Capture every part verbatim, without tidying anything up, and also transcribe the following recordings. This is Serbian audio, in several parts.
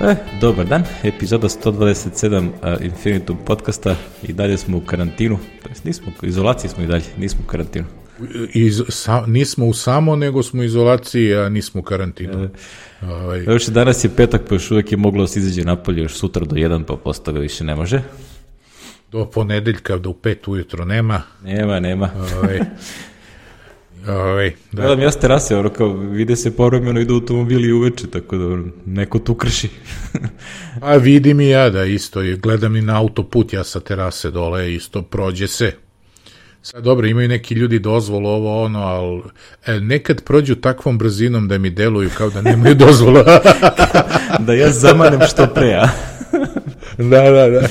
E, dobar dan, epizoda sto dvadeset sedam uh, Infinitum podcasta i dalje smo u karantinu, to jest nismo, u izolaciji smo i dalje, nismo u karantinu. Iz, sa, nismo u samo, nego smo u izolaciji, a nismo u karantinu. E, ovaj. Još danas je petak, pa još uvijek je moglo da se izađe napolje, još sutra do jedan, pa postave više ne može. Do ponedeljka, do pet ujutro nema. Nema, nema. Ovaj. Ovaj, da. Gledam ja s terase, ono kao vide se povremeno idu automobili uveče, tako da neko tu krši. A vidim i ja da isto, gledam i na autoput, ja sa terase dole, isto prođe se. Sad dobro, imaju neki ljudi dozvolu ovo ono, ali e, nekad prođu takvom brzinom da mi deluju kao da nemaju dozvolu. Da ja zamanem što pre, a? Da, da, da.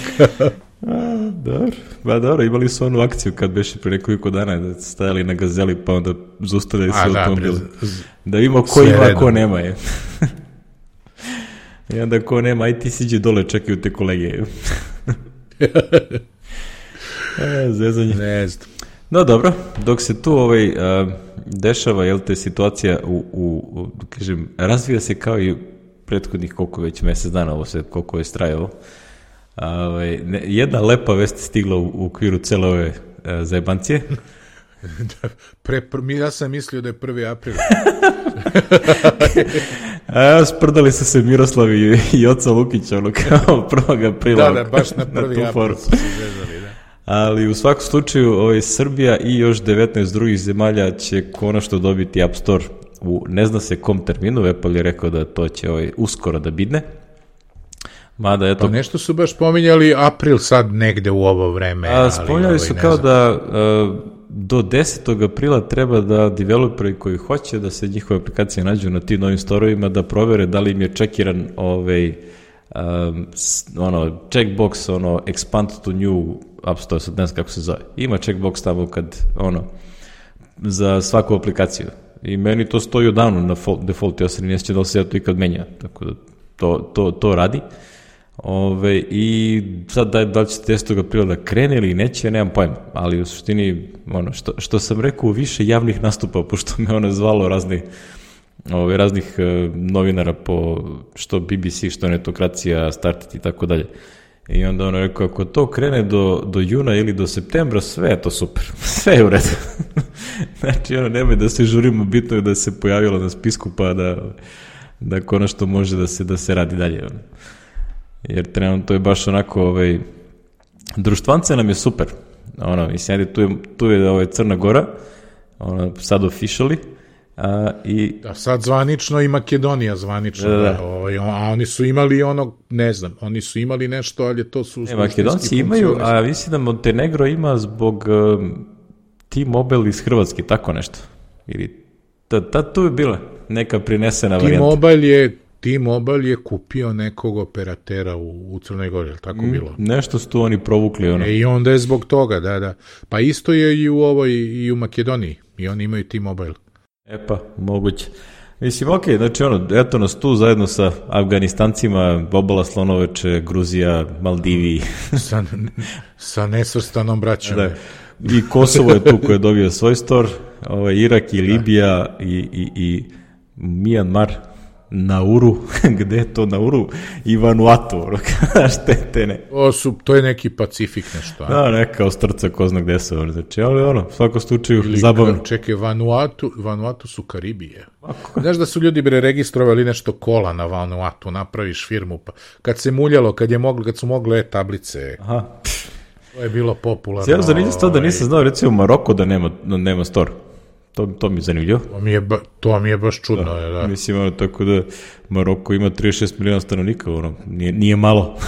A, dobro, ba dobro, imali su onu akciju kad beše pre nekoliko dana da stajali na Gazeli pa onda zaustavljali sve automobile. Da, da vidimo ko ima, a ko nema je. I onda ko nema, aj ti siđi dole, čekaju te kolege. E, zezanje. Ne znam. No dobro, dok se tu ovaj, uh, dešava, jel te, situacija u, u, u, kažem, razvija se kao i prethodnih koliko već mjesec dana, ovo se koliko je strajalo. Ovaj, ne, jedna lepa vest stigla u, u okviru cele ove uh, zajebancije. Pre, pre, ja sam mislio da je prvi april. A sprdali su se Miroslav i, i oca Lukića, ono kao prvog aprila. Da, da, baš na prvi na april su se zezali, da. Ali u svakom slučaju ovaj, Srbija i još devetnaest drugih zemalja će konačno dobiti App Store u ne zna se kom terminu. Apple je rekao da to će ovaj, uskoro da bidne. Mada, eto, pa nešto su baš pominjali april sad negde u ovo vreme. A, spominjali ovaj, su kao da a, do desetog aprila treba da developeri koji hoće da se njihove aplikacije nađu na tim novim storovima da provere da li im je čekiran ovaj, um, ono, checkbox, ono, expand to new App Store, sad ne znam kako se zove. Ima checkbox tamo kad, ono, za svaku aplikaciju. I meni to stoji odavno na default, ja se ne sjećam da li se ja to ikad menja, tako da to, to, to radi. Ove, i sad da, da li će desetog aprila da krene ili neće, nemam pojma, ali u suštini ono, što, što sam rekao, više javnih nastupa, pošto me ono zvalo razni, ove, raznih e, novinara po što B B C, što Netokracija, Startit i tako dalje. I onda ono rekao, ako to krene do, do juna ili do septembra, sve je to super, sve je u redu. Znači ono, nemoj da se žurimo, bitno je da se pojavilo na spisku pa da, da konačno može da se, da se radi dalje. Ono. Jer trenutno to je baš onako, ovaj, društvance nam je super, ono, mislim, tu je, tu je ovaj, Crna Gora, ono, sad officially, a, i... Da, sad zvanično i Makedonija zvanično, da, da. Ovaj, a oni su imali ono, ne znam, oni su imali nešto, ali to su... Ne, Makedonci imaju, a mislim da Montenegro ima zbog um, T-Mobile iz Hrvatske, tako nešto, ili, ta, ta, tu je bila neka prinesena varijanta. T-Mobile je... T-Mobile je kupio nekog operatera u, u Crnoj Gori, je li tako bilo? Mm, nešto su tu oni provukli. Ono. E, i onda je zbog toga, da, da. Pa isto je i u ovoj, i u Makedoniji. I oni imaju T-Mobile. E pa, moguće. Mislim, ok, znači ono, eto nas tu zajedno sa Afganistancima, Obala Slonoveče, Gruzija, Maldivi. sa, sa nesvrstanom braćom. Da, i Kosovo je tu koji je dobio svoj store, ovaj, Irak i Libija i, i, i Mijanmar. Nauru, gde je to Nauru? I Vanuatu, štete ne. O, su, to je neki Pacifik nešto. Da, neka ostrca, ko zna gde se, znači, ali ono, svako slučaju zabavno. Čekaj, Vanuatu, Vanuatu su Karibije. Ako? Znaš da su ljudi bre registrovali nešto kola na Vanuatu, napraviš firmu, pa kad se muljalo, kad je moglo, kad su mogle e-tablice. Aha. To je bilo popularno. Sjelo zanimljivo to da nisam znao, recimo u Maroku da nema, nema store. To, to mi je zanimljivo. To mi je, ba, to mi je baš čudno. Da, je, da. Mislim, ono, tako da Maroko ima trideset šest miliona stanovnika, ono, nije, nije malo.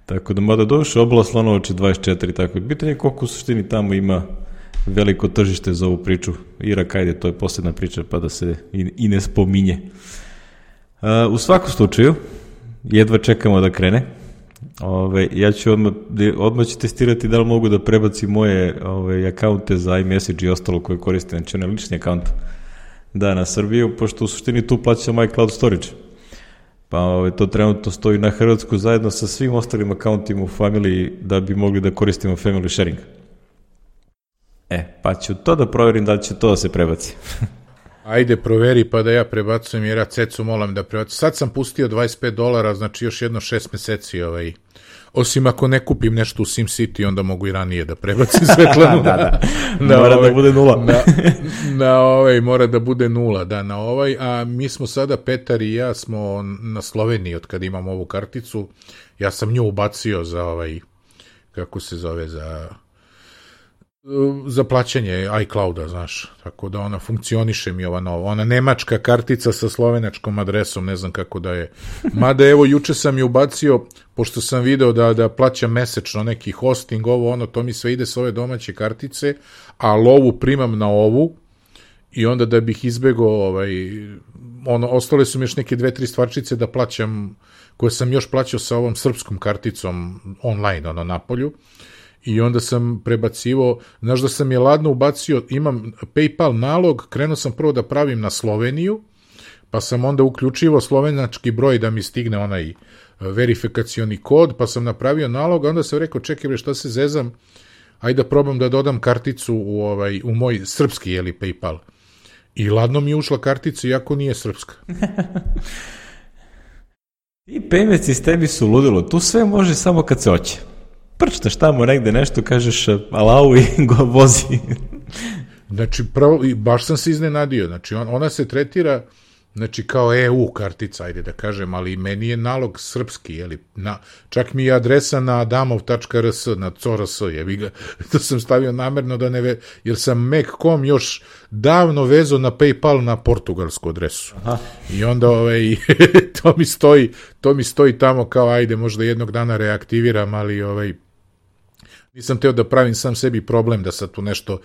Tako da, mada došle, Obala Slonovače dvadeset četiri, tako. Pitanje je koliko u suštini tamo ima veliko tržište za ovu priču. Irak, ajde, to je posebna priča, pa da se i, i ne spominje. Uh, u svakom slučaju, jedva čekamo da krene. Ove, ja ću odmah, odmah ću testirati da li mogu da prebacim moje ove, akaunte za iMessage i ostalo koje koristim, znači onaj lični akaunt, da, na Srbiju, pošto u suštini tu plaćam iCloud storage. Pa ove, to trenutno stoji na Hrvatsku zajedno sa svim ostalim akauntima u familiji da bi mogli da koristimo family sharing. E, pa ću to da proverim da li će to da se prebaci. Ajde, proveri pa da ja prebacujem, jer ja cecu molam da prebacujem. Sad sam pustio dvadeset pet dolara, znači još jedno šest meseci, ovaj, osim ako ne kupim nešto u SimCity, onda mogu i ranije da prebacim Svetlanu. da, da, na mora ovaj, da bude nula. na, na ovaj, mora da bude nula, da, na ovaj, a mi smo sada, Petar i ja, smo na Sloveniji, od kada imam ovu karticu, ja sam nju ubacio za ovaj, kako se zove, za... za plaćanje iClouda, znaš, tako da ona funkcioniše mi ova nova, ona nemačka kartica sa slovenačkom adresom, ne znam kako da je, mada evo juče sam je ubacio, pošto sam video da, da plaćam mesečno neki hosting, ovo ono, to mi sve ide s ove domaće kartice, a lovu primam na ovu i onda da bih izbegao ovaj, ono, ostale su mi još neke dve, tri stvarčice da plaćam, koje sam još plaćao sa ovom srpskom karticom online, ono, napolju. I onda sam prebacivo, znaš da sam je ladno ubacio, imam PayPal nalog, krenuo sam prvo da pravim na Sloveniju, pa sam onda uključivo slovenački broj da mi stigne onaj verifikacioni kod, pa sam napravio nalog, a onda sam rekao, čekaj bre, šta se zezam, ajde da probam da dodam karticu u, ovaj, u moj srpski, jeli, PayPal. I ladno mi je ušla kartica, iako nije srpska. I payment sistemi su ludilo, tu sve može samo kad se hoće. Prčtaš tamo negde nešto, kažeš alau i go vozi. Znači, pravo, baš sam se iznenadio. Znači, on, ona se tretira, znači, kao E U kartica, ajde da kažem, ali meni je nalog srpski, jeli, na, čak mi je adresa na adamov tačka er es, na C O R S, jebi ga, to sam stavio namerno da ne ve, jer sam Mac punkt com još davno vezao na PayPal na portugalsku adresu. Aha. I onda, ovaj, to mi stoji, to mi stoji tamo kao, ajde, možda jednog dana reaktiviram, ali, ovaj, nisam teo da pravim sam sebi problem da sad tu nešto,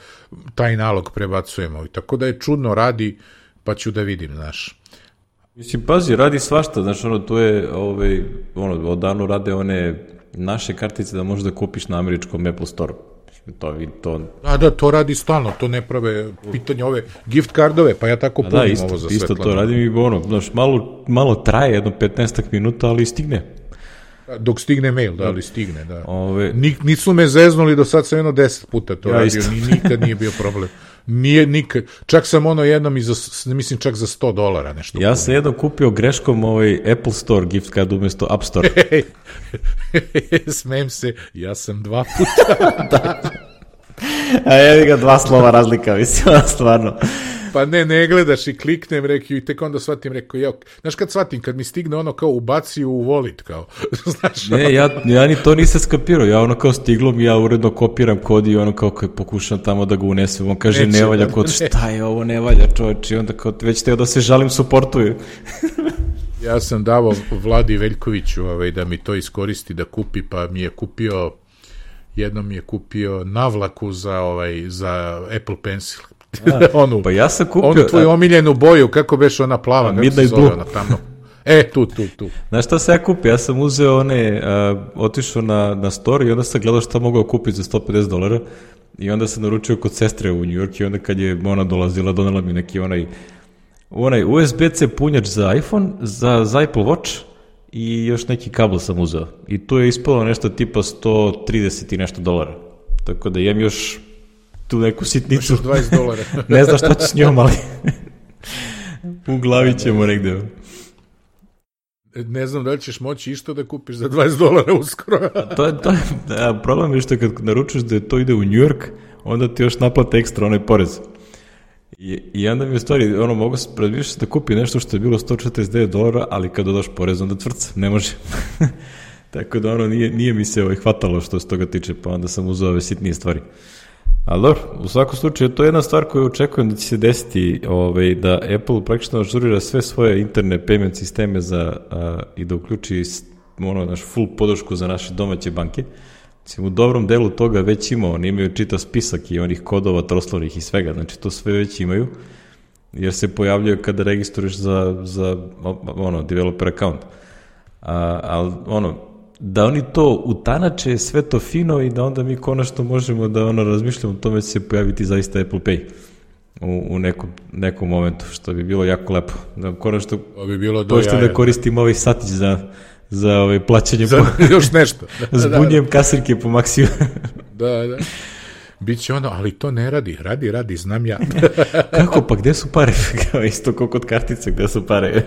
taj nalog prebacujemo. I tako da je čudno, radi, pa ću da vidim, znaš. Mislim, pazi, radi svašta, znaš, ono, tu je, ovaj, ono, odavno rade one naše kartice da možeš da kupiš na američkom Apple Store. To, to... Da, da, to radi stalno, to ne prave pitanje ove gift cardove, pa ja tako punim da, isto, ovo za isto Svetlanu. To radim i ono, znaš, malo, malo traje, jedno petnaestak minuta, ali stigne. Dok stigne mail, da, ali stigne, da. Ove... Nik, nisu me zeznuli, do sad sam jedno deset puta to ja radio, ni, nikad nije bio problem. Nije nikad, čak sam ono jednom i za, mislim čak za sto dolara nešto. Ja sam jednom kupio greškom ovaj Apple Store gift card umjesto App Store. Smijem se, ja sam dva puta. da. A jevi ga dva slova razlika, mislim, stvarno. Pa ne, ne gledaš i kliknem, rekao, i tek onda shvatim, rekao, ja, znaš kad shvatim, kad mi stigne ono kao ubaci u wallet, kao, znaš. Ne, ja, ja ni to nisam skapirao, ja ono kao stiglo mi, ja uredno kopiram kod i ono kao pokušam tamo da ga unesem, on kaže neće, ne valja, kod ne. Šta je ovo, ne valja čovječ, i onda kao već teo da se žalim, suportuju. Ja sam davao Vladi Veljkoviću ovaj, da mi to iskoristi, da kupi, pa mi je kupio, jednom mi je kupio navlaku za, ovaj, za Apple Pencil. A, onu, pa ja sam kupio... Onu tvoju omiljenu boju, kako beš ona plava, kako se zove ona tamo. E, tu, tu, tu. Znaš šta se ja kupio? Ja sam uzeo one, uh, otišao na, na store i onda sam gledao šta mogao kupiti za sto pedeset dolara i onda sam naručio kod sestre u New York i onda kad je ona dolazila, donela mi neki onaj, onaj U S B C punjač za iPhone, za, za Apple Watch i još neki kabel sam uzeo. I tu je ispalo nešto tipa sto trideset i nešto dolara. Tako da jem još tu neku sitnicu. Još dvadeset dolara. Ne znam šta ću s njom, ali u glavi ćemo negde. Ne znam da li ćeš moći išto da kupiš za dvadeset dolara uskoro. to je, to je, da, problem je što kad naručuješ da to ide u New York, onda ti još naplate ekstra onaj porez. I, i onda mi je stvari, ono, mogu se predvišati da kupi nešto što je bilo sto četrdeset devet dolara, ali kad dodaš porez, onda tvrca, ne može. Tako da ono, nije, nije mi se ovaj hvatalo što se toga tiče, pa onda sam uzeo ove sitnije stvari. Ali dobro, u svakom slučaju, to je jedna stvar koju očekujem da će se desiti, ovaj, da Apple praktično ažurira sve svoje interne payment sisteme za, a, i da uključi ono, naš full podršku za naše domaće banke. Mislim, u dobrom delu toga već imao, oni imaju čitav spisak i onih kodova troslovnih i svega, znači to sve već imaju, jer se pojavljaju kada registruješ za, za ono, developer account. A, ali ono, da oni to utanače, sve to fino i da onda mi konačno možemo da ono razmišljamo o tome će se pojaviti zaista Apple Pay u, u nekom, nekom momentu, što bi bilo jako lepo. Da konačno bi bilo pošto da koristim ovaj satić za, za ovaj plaćanje za, po, još nešto. Zbunjujem kasirke po maksimu. Da, da. Biće ono, ali to ne radi, radi, radi, znam ja. Kako, pa gde su pare? Isto kao kod kartice, gde su pare?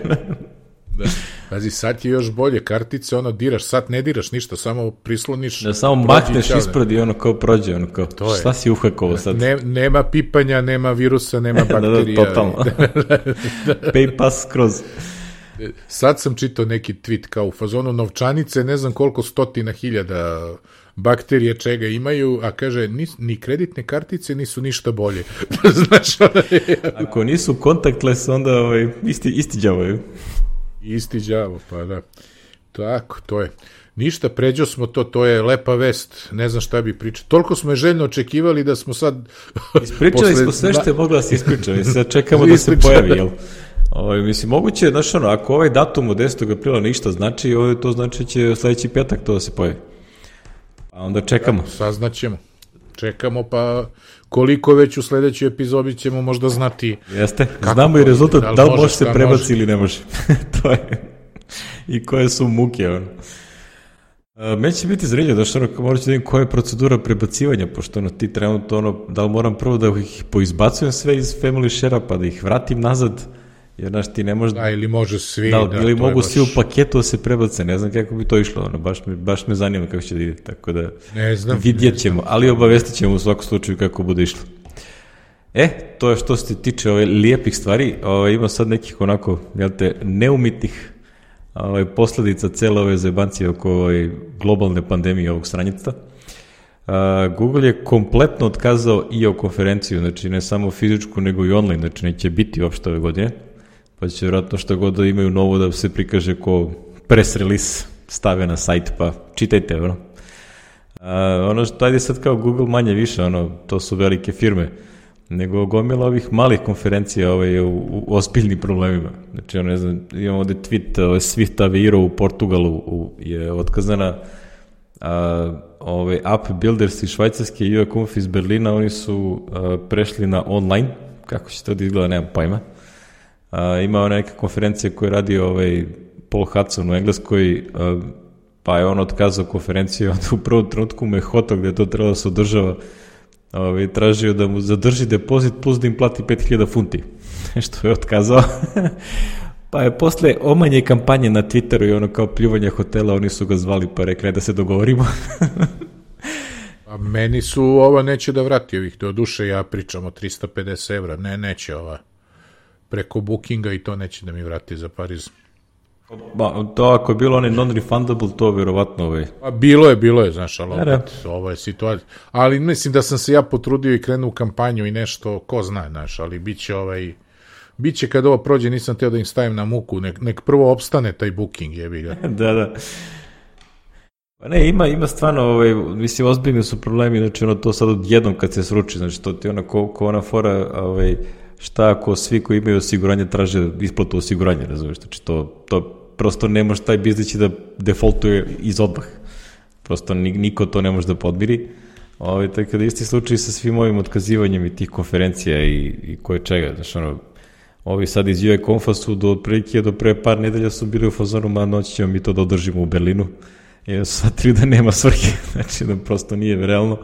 Da. Pazi, sad je još bolje, kartice, ono, diraš, sad ne diraš ništa, samo prisloniš. Da samo makneš ispred i ono kao prođe, ono kao, to šta je. Si uhakovo sad? Ne, nema pipanja, nema virusa, nema bakterija. Da, da, totalno. Pay pass kroz. Sad sam čitao neki tweet kao u fazonu novčanice, ne znam koliko stotina hiljada bakterije čega imaju, a kaže, ni, ni kreditne kartice nisu ništa bolje. Znaš, ono je... Ako nisu contactless, onda ovaj, isti, isti đavaju. Isti đavo, pa da. Tako, to je. Ništa, pređo smo to, to je lepa vest, ne znam šta bi pričao. Toliko smo je željno očekivali da smo sad... Ispričali posle... smo sve što je mogla da se ispričali, sad čekamo da se pojavi, jel? Ovo, mislim, moguće je, znaš ono, ako ovaj datum od desetog aprila ništa znači, ovo to znači će sledeći petak to da se pojavi. A onda čekamo. Da, saznaćemo. Čekamo, pa koliko već u sledećoj epizodi ćemo možda znati. Jeste, znamo i rezultat, da li, da li može, može se prebaci može. Ili ne može. To je. I koje su muke, ono. Meni će biti zanimljivo, da što ono, morat ću da vidim koja je procedura prebacivanja, pošto ono, ti trenutno, ono, da li moram prvo da ih poizbacujem sve iz Family Share-a, pa da ih vratim nazad, jer, znaš, ti ne možeš... Da, ili može svi... Da, da ili mogu baš... svi u paketu da se prebace, ne znam kako bi to išlo, ono, baš me, baš me zanima kako će da ide, tako da ne znam, vidjet ne ćemo, znam. Ali obavestit ćemo u svakom slučaju kako bude išlo. E, to je što se tiče ove lijepih stvari, ove, ima sad nekih onako, jel te, neumitnih ove, posledica cele ove zebancije oko ove globalne pandemije ovog sranjica. Uh, Google je kompletno otkazao i o konferenciju, znači ne samo fizičku nego i online, znači neće biti uopšte ove godine, pa će vjerojatno što god da imaju novo da se prikaže ko press release stave na sajt, pa čitajte, ono. Uh, ono što ajde sad kao Google manje više, ono, to su velike firme, nego gomila ovih malih konferencija ovaj, u, u ozbiljnim problemima. Znači, ono, ne znam, imamo ovde tweet, ovaj, Swift Aveiro u Portugalu u, je otkazana, a, ovaj, App Builders iz Švajcarske i U A Conf iz Berlina, oni su a, prešli na online, kako će to da izgleda, nemam pojma. A, ima ona neka konferencija koju radi ovaj, Paul Hudson u Engleskoj, a, pa je on otkazao konferenciju, onda u prvom trenutku me hoto gde je to trebalo da se održava, Ove, tražio da mu zadrži depozit plus da im plati pet hiljada funti. Što je otkazao. Pa je posle omanje kampanje na Twitteru i ono kao pljuvanja hotela, oni su ga zvali pa rekli da se dogovorimo. A meni su ova neće da vrati ovih, do duše ja pričam o tristo pedeset evra, ne, neće ova preko bookinga i to neće da mi vrati za Pariz. Ba, to ako je bilo onaj non-refundable, to vjerovatno ovaj. Pa bilo je, bilo je, znaš, ali opet, ovo je situacija. Ali mislim da sam se ja potrudio i krenuo u kampanju i nešto, ko zna, znaš, ali bit će ovaj, bit će kad ovo prođe, nisam teo da im stavim na muku, nek, nek prvo opstane taj booking, jebi ga. Da, da. Pa ne, ima, ima stvarno, ovaj, mislim, ozbiljni su problemi, znači ono to sad odjednom kad se sruči, znači to ti ono ko, ko ona fora, ovaj, šta ako svi koji imaju osiguranje traže isplatu osiguranja, razumiješ, znači to, to prosto ne može taj biznis da defaultuje iz odmah. Prosto niko to ne može da podmiri. Ovo, tako da isti slučaj sa svim ovim otkazivanjem i tih konferencija i, i koje čega. Znači, ono, ovi sad iz U A Confa su do otprilike, do pre par nedelja su bili u fazonu, ma noći ćemo mi to da održimo u Berlinu. I onda su sad tri da nema svrhe. Znači da prosto nije realno.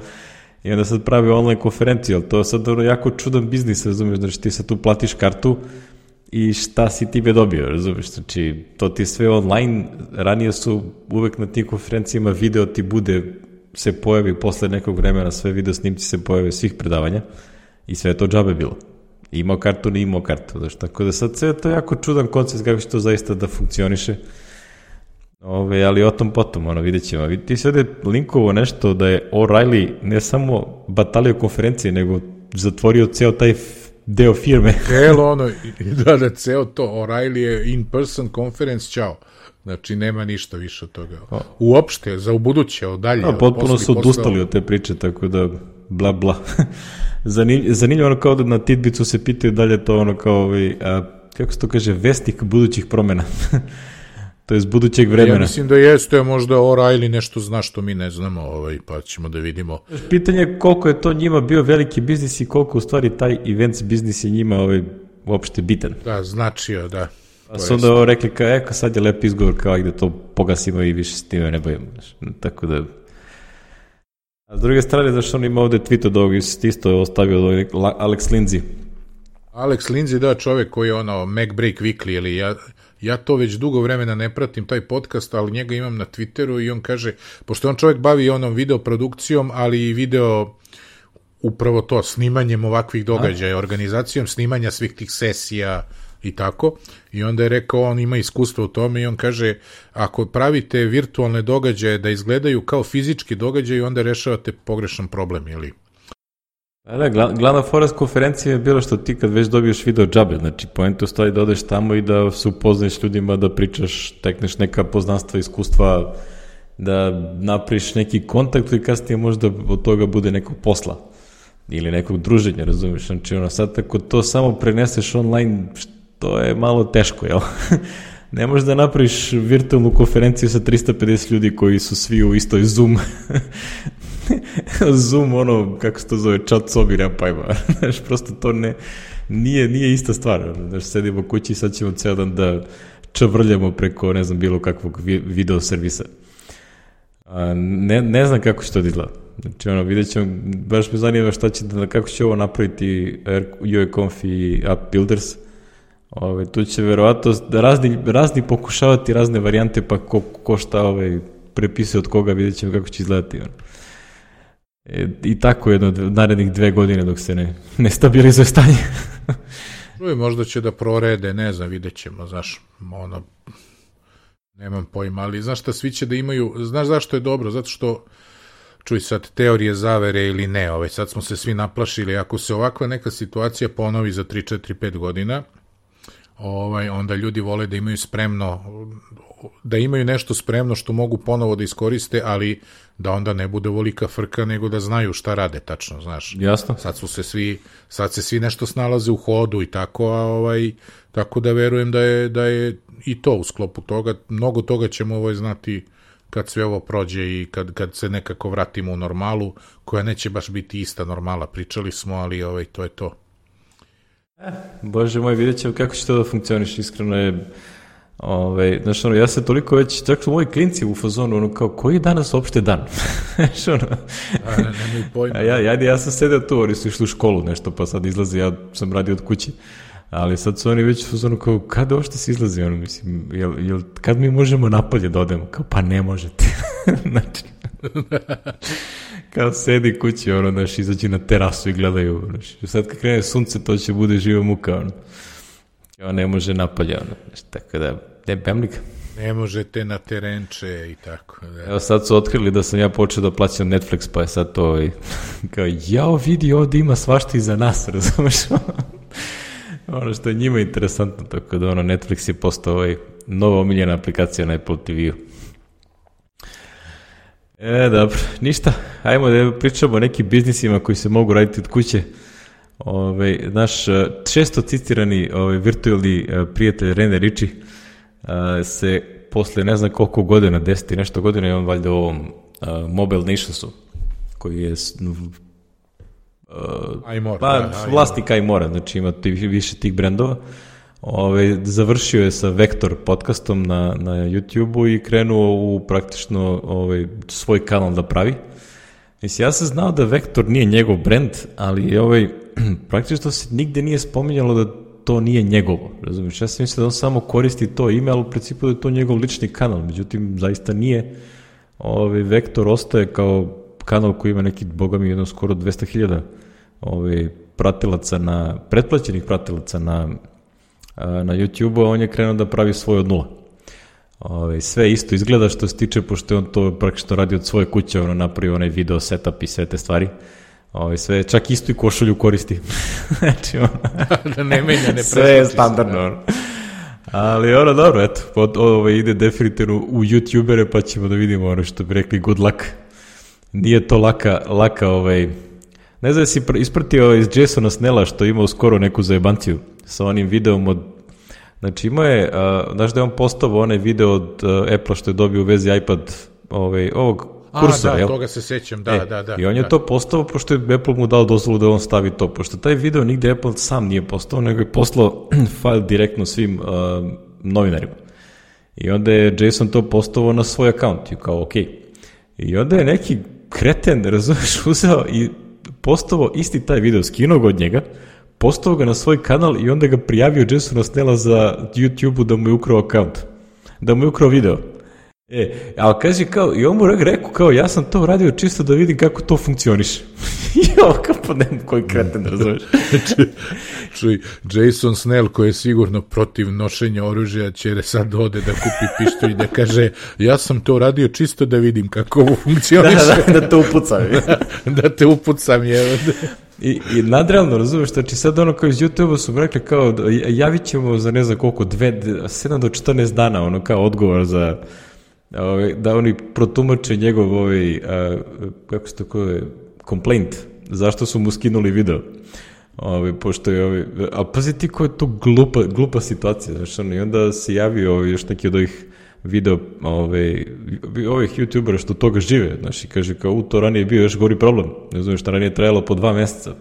I onda sad pravi online konferenciju, ali to je sad ono jako čudan biznis, razumiješ, znači ti sad tu platiš kartu i šta si time dobio, razumiješ, znači to ti sve online, ranije su uvek na tim konferencijama video ti bude, se pojavi posle nekog vremena, sve video snimci se pojave svih predavanja i sve je to džabe bilo. Imao kartu, ne imao kartu, znači, tako da sad sve je to jako čudan koncept kako će to zaista da funkcioniše. Ove, ali o tom potom, ono, vidjet ćemo. Ti si ovdje linkovo nešto da je O'Reilly ne samo batalio konferencije, nego zatvorio ceo taj deo firme. Celo ono, da, da, ceo to, O'Reilly je in-person conference, čao. Znači, nema ništa više od toga. Uopšte, za ubuduće, od dalje. A, potpuno su odustali od te priče, tako da, bla, bla. Zanimljivo ono kao da na Tidbicu se pitaju dalje to ono kao, ovaj, a, kako se to kaže, vestnik budućih promjena. To je z budućeg vremena. Ja mislim da jeste, možda O'Reilly nešto zna što mi ne znamo, ovaj, pa ćemo da vidimo. Pitanje je koliko je to njima bio veliki biznis i koliko u stvari taj events biznis je njima ovaj, uopšte bitan. Da, značio, da. Pa su onda ovo rekli kao, eko sad je lep izgovor kao gde to pogasimo i više s time ne bojimo. Tako da A s druge strane, znaš, on ima ovde tweet od ovog, isto je ostavio Alex Lindsay. Alex Lindsay, da, čovek koji je ono MacBreak Weekly, ili ja, ja to već dugo vremena ne pratim, taj podcast, ali njega imam na Twitteru i on kaže, pošto on čovek bavi onom video produkcijom, ali i video upravo to, snimanjem ovakvih događaja, organizacijom snimanja svih tih sesija i tako, i onda je rekao, on ima iskustvo u tome i on kaže, ako pravite virtualne događaje da izgledaju kao fizički događaji, onda rešavate pogrešan problem, ili? Da, glavna fora s konferencije je bilo što ti kad već dobiješ video džabe, znači poenta u stvari da odeš tamo i da se upoznaš ljudima, da pričaš, tekneš neka poznanstva, iskustva, da napriš neki kontakt i kasnije možda od toga bude nekog posla ili nekog druženja, razumiješ, znači ono sad ako to samo preneseš online, to je malo teško, jel? Ne možeš da napraviš virtualnu konferenciju sa trista pedeset ljudi koji su svi u istoj Zoom Zoom, ono, kako se to zove, chat sobi, nema pajma. Znaš, prosto to ne, nije, nije ista stvar. Znaš, sedimo kući i sad ćemo ceo dan da čavrljamo preko, ne znam, bilo kakvog video servisa. A, ne, ne znam kako će to izgleda. Znači, ono, vidjet ćemo, baš me zanima šta će, da, kako će ovo napraviti U E Conf i App Builders. Ove, tu će verovatno razni, razni pokušavati razne varijante, pa ko, ko šta ove, prepisuje od koga, vidjet ćemo kako će izgledati. Ono. E, I tako jedno narednih dve godine dok se ne, ne stabilizuje stanje. Čuj, možda će da prorede, ne znam, vidjet ćemo, znaš, ono, nemam pojma, ali znaš šta, svi će da imaju, znaš zašto je dobro, zato što, čuj sad, teorije zavere ili ne, ove, sad smo se svi naplašili, ako se ovakva neka situacija ponovi za tri, četiri, pet godina, ovaj, onda ljudi vole da imaju spremno, da imaju nešto spremno što mogu ponovo da iskoriste, ali da onda ne bude volika frka, nego da znaju šta rade tačno, znaš. Jasno. Sad su se svi, sad se svi nešto snalaze u hodu i tako, a ovaj, tako da verujem da je, da je i to u sklopu toga, mnogo toga ćemo ovaj znati kad sve ovo prođe i kad, kad se nekako vratimo u normalu, koja neće baš biti ista normala, pričali smo, ali ovaj, to je to. Eh, Bože moj, vidjet ćemo kako će to da funkcioniš, iskreno je, ovaj, znaš, ono, ja se toliko već, čak su moji klinci u fazonu, ono, kao, koji je danas uopšte dan? Znaš, ono, a, ne, nemoj pojma. ja, ja, ja sam sedeo tu, oni su išli u školu nešto, pa sad izlazi, ja sam radio od kući, ali sad su oni već u fazonu, kao, kada uopšte se izlazi, ono, mislim, jel, jel, kad mi možemo napolje da odemo? Kao, pa ne možete. Znači, kao sedi kući, ono, znaš, izađi na terasu i gledaju, znaš, sad kad krene sunce, to će bude živa muka, ono, kao ne može napolje, ono, znaš, tako da, ne bemlika. Ne možete na terenče i tako. Da. Evo sad su otkrili da sam ja počeo da plaćam Netflix, pa je sad to, i, kao, jao, vidi, ovdje ima svašta i za nas, razumeš, ono što je njima interesantno, tako da, ono, Netflix je postao ovaj nova omiljena aplikacija na Apple T V-u. E, dobro, ništa, ajmo da pričamo o nekim biznisima koji se mogu raditi od kuće. Ove, naš često citirani ove, virtualni prijatelj Rene Ritchie se posle ne znam koliko godina, deset i nešto godina, je on valjda u ovom uh, Mobile Nationsu, koji je uh, Imora, pa, da, vlasnik Imora, znači ima više tih brendova. Ove, završio je sa Vektor podcastom na, na YouTube-u i krenuo u praktično ove, svoj kanal da pravi. Mislim, ja sam znao da Vektor nije njegov brend, ali ovaj, praktično se nigde nije spominjalo da to nije njegovo. Razumiješ, ja sam mislio da on samo koristi to ime, ali u principu da je to njegov lični kanal. Međutim, zaista nije. Ovaj, Vektor ostaje kao kanal koji ima neki, boga mi, jedno skoro dvesta hiljada ovaj, pratilaca na, pretplaćenih pratilaca na na YouTube-u, a on je krenuo da pravi svoj od nula. Ove, sve isto izgleda što se tiče, pošto je on to praktično radi od svoje kuće, ono napravio onaj video setup i sve te stvari. Ove, sve, čak isto i košulju koristi. Znači, ono, da ne menja, ne sve je standardno. Ono. Ali ono, dobro, eto, od, ove, ide definitivno u YouTubere, pa ćemo da vidimo ono što bi rekli good luck. Nije to laka, laka ovaj, ne znam da si ispratio ovaj iz Jasona Snella što je imao skoro neku zajebanciju sa onim videom od, znači imao je, uh, znaš da je on postavio onaj video od uh, Apple što je dobio u vezi iPad ovaj, ovog kursora, A, da, jel? toga se sećam, da, e, da, da. I on je da. to postavio pošto je Apple mu dao dozvolu da on stavi to, pošto taj video nigde Apple sam nije postavio, nego je poslao file direktno svim uh, novinarima. I onda je Jason to postavio na svoj account i kao ok. I onda je neki kreten, razumeš, uzeo i postavio isti taj video, skinuo ga od njega, postavio ga na svoj kanal i onda ga prijavio Jasona Snella za YouTube-u da mu je ukrao account, da mu je ukrao video. E, ali kaže kao, i on mu rekao kao, ja sam to uradio čisto da vidim kako to funkcioniše. I ovo kao, pa nema koji kreten, razumeš. Čuj, Jason Snell, koji je sigurno protiv nošenja oružja, će sad ode da kupi pištolj i da kaže, ja sam to uradio čisto da vidim kako ovo funkcioniše. Da, da, da te upucam. da te upucam, je. I, i nadrealno, razumeš, znači sad ono kao iz YouTube-a su rekli kao, javit ćemo za ne znam koliko, sedam do četrnaest dana, ono kao odgovor za... da oni protumače njegov ovaj, a, kako se to koje, complaint, zašto su mu skinuli video. Ovaj, pošto je ovaj, a pazi ti koja je to glupa, glupa situacija, znaš, ono, i onda se javio ovaj, još neki od ovih video, ovaj, ovih youtubera što toga žive, znaš, i kaže kao, u, to ranije bio još gori problem, ne znam što ranije trajalo po dva meseca,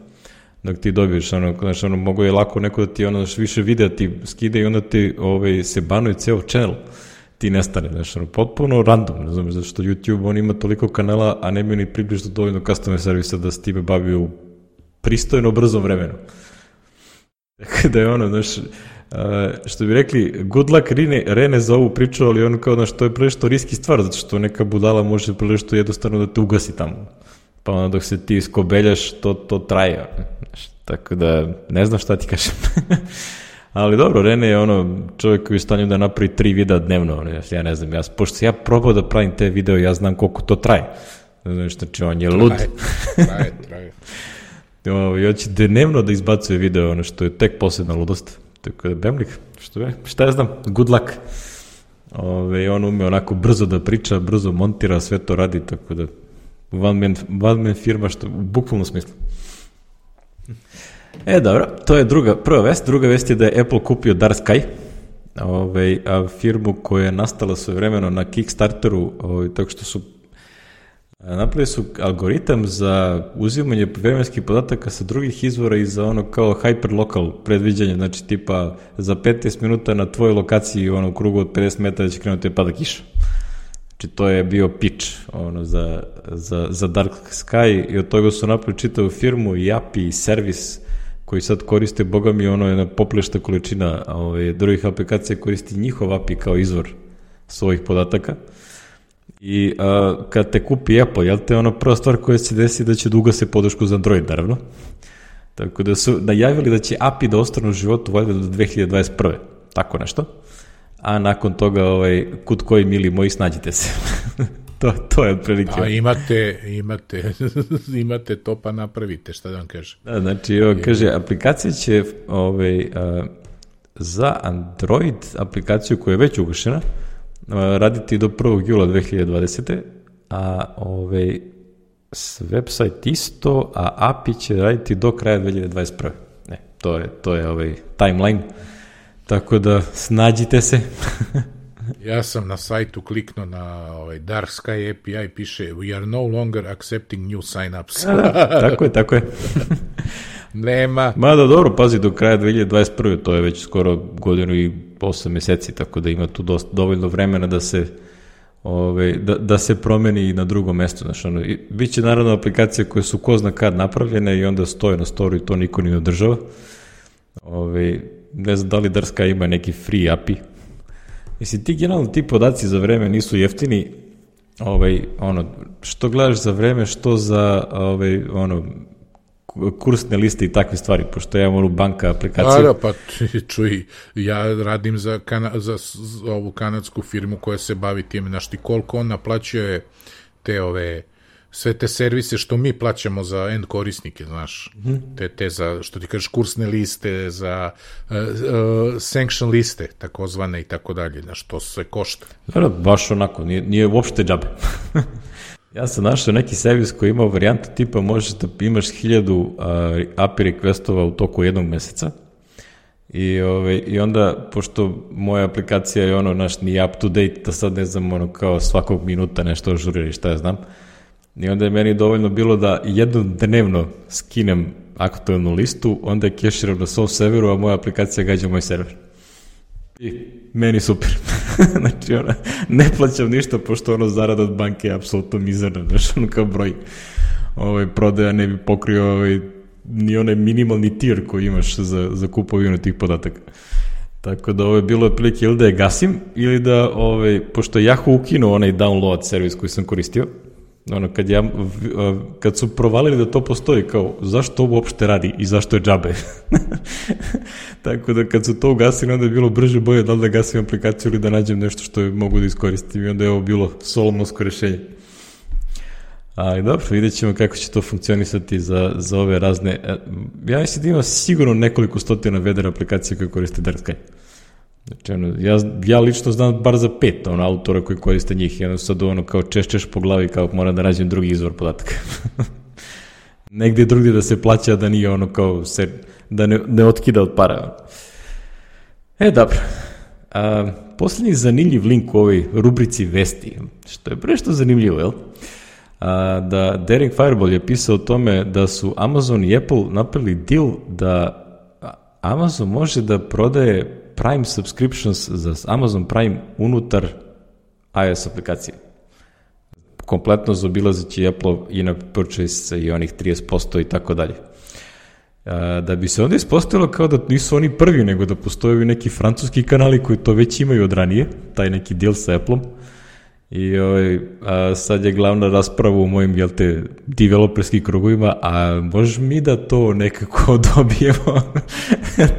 dok ti dobiješ, ono, znaš, ono, mogo je lako neko da ti, ono, više videa ti skide i onda ti, ovaj, se banuje ceo channel, ti nestane, znaš, ono, potpuno random, ne znam, zato što YouTube, on ima toliko kanala, a ne bi ni približno dovoljno customer servisa da se time bavi u pristojno brzom vremenu. Tako da je ono, znaš, što bi rekli, good luck Rene, Rene za ovu priču, ali ono kao, znaš, to je prilično riski stvar, zato što neka budala može prilično jednostavno da te ugasi tamo. Pa ono, dok se ti skobeljaš, to, to traje, znaš, tako da, ne znam šta ti kažem. Ali dobro, Rene je ono čovjek koji je u stanju da napravi tri videa dnevno, ja ne znam, ja, pošto se ja probao da pravim te video, ja znam koliko to traje. Znači, on je lud. Traje, traje, traje. I on će dnevno da izbacuje video, ono što je tek posebna ludost. Tako da, Bemlik, što je, šta ja znam, good luck. Ove, on ume onako brzo da priča, brzo montira, sve to radi, tako da one man, one man firma, što u bukvalnom smislu. E, dobro, to je druga, prva vest. Druga vest je da je Apple kupio Dark Sky, ovaj, a firmu koja je nastala svojevremeno na Kickstarteru, ovaj, tako što su napravili su algoritam za uzimanje vremenskih podataka sa drugih izvora i za ono kao hyperlocal predviđanje, znači tipa za petnaest minuta na tvojoj lokaciji ono, u krugu od pedeset metara će krenuti da pada kiša. Znači to je bio pitch ono, za, za, za Dark Sky i od toga su napravili čitavu firmu i A P I i servis koji sad koriste, boga mi, ono jedna poplešta količina ovaj, drugih aplikacija koristi njihov A P I kao izvor svojih podataka. I a, kad te kupi Apple, jel te ono prva stvar koja se desi da će da ugase podršku za Android, naravno. Tako da su najavili da će A P I da ostane u životu valjda do dve hiljade dvadeset prve. Tako nešto. A nakon toga, ovaj, kud koji mili moji, snađite se. to, to je otprilike. A imate, imate, imate to pa napravite, šta da vam kaže. Da, znači, ovo, kaže, aplikacija će ovaj, a, za Android aplikaciju koja je već ugašena raditi do prvog jula dve hiljade dvadesete. a ovaj, website isto, a A P I će raditi do kraja dve hiljade dvadeset prve. Ne, to je, to je ovaj timeline. Tako da snađite se. Ja sam na sajtu kliknuo na ovaj Dark Sky A P I, piše we are no longer accepting new sign-ups. Da, tako je, tako je. Nema. Mada dobro, pazi, do kraja dve hiljade dvadeset prve, to je već skoro godinu i osam meseci, tako da ima tu dosta, dovoljno vremena da se ove, da, da se promeni na drugom mestu. Znači, ono, biće naravno aplikacije koje su ko zna kad napravljene i onda stoje na storu i to niko ni održava. Ove, ne znam da li Dark Sky ima neki free A P I. Mislim, ti generalno ti podaci za vreme nisu jeftini, ovaj, ono, što gledaš za vreme, što za ovaj, ono, kursne liste i takve stvari, pošto ja imam onu banka aplikaciju. Da, da, pa čuj, ja radim za, kana, za, za ovu kanadsku firmu koja se bavi tim, znaš ti koliko on naplaćuje te ove, sve te servise što mi plaćamo za end korisnike, znaš, mm. te, te za, što ti kažeš, kursne liste, za uh, uh, sanction liste, takozvane i tako dalje, znaš, to sve košta. Da, da, baš onako, nije, nije uopšte džabe. Ja sam našao neki servis koji ima varijantu tipa možeš da imaš hiljadu uh, A P I requestova u toku jednog meseca i, ove, i onda, pošto moja aplikacija je ono, naš, nije up to date, da sad ne znam, ono, kao svakog minuta nešto ažurira i šta ja znam, i onda je meni dovoljno bilo da jednom dnevno skinem aktualnu listu, onda je keširam na svom serveru, a moja aplikacija gađa moj server. I meni super. Znači, ona, ne plaćam ništa, pošto ono zarada od banke je apsolutno mizerna, znaš, ono kao broj ovaj, prodaja ne bi pokrio ovaj, ni onaj minimalni tier koji imaš za, za kupovinu tih podataka. Tako da ovo je bilo otprilike ili da je gasim, ili da, ovaj, pošto je Yahoo ukinuo onaj download servis koji sam koristio, ono, kad, ja, kad su provalili da to postoji, kao, zašto ovo uopšte radi i zašto je džabe? Tako da kad su to ugasili, onda je bilo brže bolje da li da gasim aplikaciju ili da nađem nešto što je mogu da iskoristim i onda je ovo bilo solomonsko rešenje. Ali dobro, vidjet ćemo kako će to funkcionisati za, za ove razne... Ja mislim da ima sigurno nekoliko stotina vedera aplikacija koje koriste Darksky. Znači, ono, ja, ja lično znam bar za pet ono, autora koji koriste njih i ono sad ono kao češćeš po glavi kao moram da nađem drugi izvor podataka. Negdje drugdje da se plaća da nije ono kao se, da ne, ne otkida od para. E, dobro. A, posljednji zanimljiv link u ovoj rubrici vesti, što je prešto zanimljivo, jel? A, da Daring Fireball je pisao o tome da su Amazon i Apple napravili deal da Amazon može da prodaje Prime subscriptions za Amazon Prime unutar iOS aplikacije. Kompletno zaobilazeći Apple in-app purchase i onih trideset posto i tako dalje. Da bi se onda ispostavilo kao da nisu oni prvi, nego da postoje neki francuski kanali koji to već imaju od ranije, taj neki deal sa Appleom. I ovaj, a sad je glavna rasprava u mojim, jel te, developerskim krugovima, a možeš mi da to nekako dobijemo,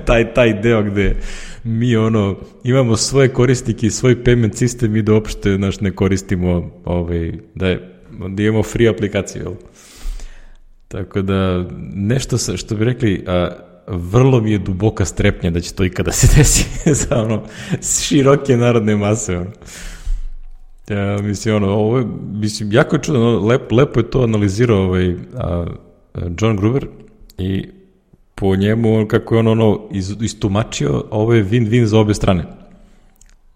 taj, taj deo gde mi ono, imamo svoje korisnike i svoj payment sistem i da uopšte naš ne koristimo, ovaj, da, je, da imamo free aplikaciju, jel? Tako da, nešto sa, što bi rekli, a, vrlo mi je duboka strepnja da će to ikada se desi za ono, široke narodne mase, ono. Ja, mislim, ono, ovo je, mislim, jako je čudno, lep, lepo je to analizirao ovaj, a, John Gruber i po njemu, kako je on ono iz, istumačio, ovo je win-win za obe strane.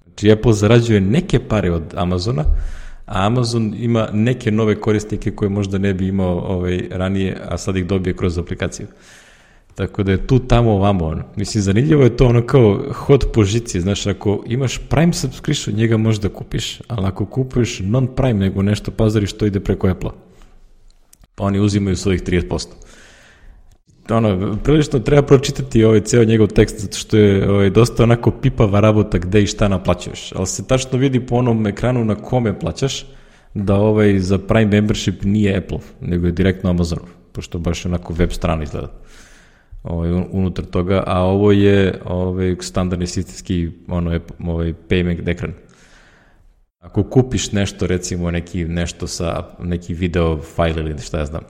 Znači, Apple zarađuje neke pare od Amazona, a Amazon ima neke nove korisnike koje možda ne bi imao ovaj, ranije, a sad ih dobije kroz aplikaciju. Tako da je tu tamo ovamo, ono. Mislim, zanimljivo je to ono kao hod po žici, znaš, ako imaš Prime subscription, njega možeš da kupiš, ali ako kupuješ non-Prime nego nešto pazariš, to ide preko Apple-a. Pa oni uzimaju svojih trideset posto. Ono, prilično treba pročitati ovaj ceo njegov tekst, zato što je ovaj, dosta onako pipava rabota gde i šta naplaćuješ, ali se tačno vidi po onom ekranu na kome plaćaš, da ovaj za Prime membership nije Apple, nego je direktno Amazonov, pošto baš onako web strana izgleda. Ovaj, unutar toga, a ovo je ovaj, standardni sistemski ono, ovaj, payment ekran. Ako kupiš nešto, recimo neki, nešto sa neki video file ili šta ja znam.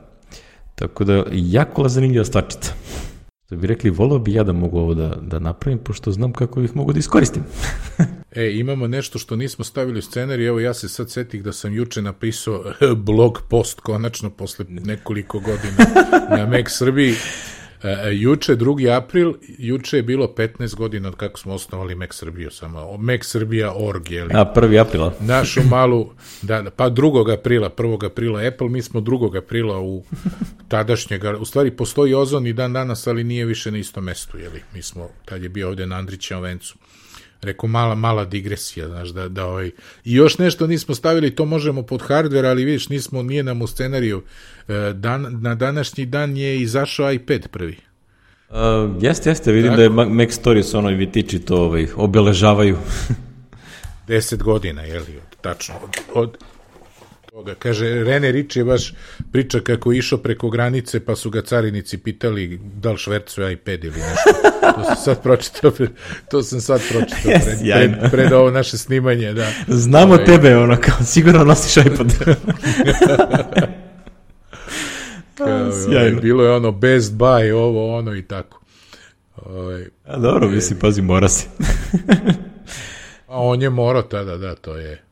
Tako da, jako zanimljiva stvarčica. Da bi rekli, volao bi ja da mogu ovo da, da napravim, pošto znam kako ih mogu da iskoristim. E, imamo nešto što nismo stavili u scenarij, evo ja se sad setih da sam juče napisao blog post, konačno, posle nekoliko godina na Mac Srbiji. Uh, juče, drugi april, juče je bilo petnaest godina od kako smo osnovali Mac Srbiju, samo Mac Srbija точка org, je li? A, prvi aprila. Našu malu, da, pa drugog aprila, prvog aprila Apple, mi smo drugog aprila u tadašnjega, u stvari postoji Ozon i dan danas, ali nije više na istom mestu, je li? Mi smo, tad je bio ovde na Andrićevom vencu. Rekao, mala, mala digresija, znaš, da, da ovaj... I još nešto nismo stavili, to možemo pod hardware, ali vidiš, nismo, nije nam u scenariju. Dan, na današnji dan je izašao iPad prvi. Uh, jeste, jeste, vidim tako da je Mac Stories ono i vitiči to ovaj, obeležavaju. Deset godina, je li, tačno, od, od toga. Kaže, Rene Ritchie baš priča kako je išao preko granice, pa su ga carinici pitali da li švercuje iPad ili nešto. To sam sad pročitao, to sam sad pročitao yes, pred, pred, pred ovo naše snimanje, da. Znamo ovaj, tebe, ono, kao sigurno nosiš iPad. Kao, ovaj, bilo je ono Best Buy, ovo, ono i tako. Ovaj, A dobro, je, mislim, pazi, mora se. A on je morao tada, da, to je.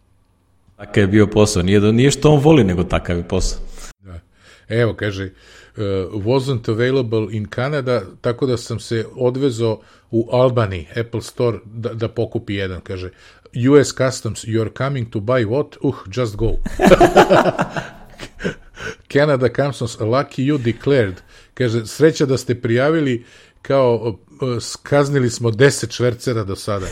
Takav je bio posao, nije, da, nije što on voli, nego takav je posao. Da. Evo, kaže, uh, wasn't available in Canada, tako da sam se odvezao u Albany, Apple Store, da, da pokupi jedan, kaže, U S Customs, you're coming to buy what? Uh, just go. Canada Customs, lucky you declared. Kaže, sreća da ste prijavili, kao, uh, kaznili smo deset švercera do sada.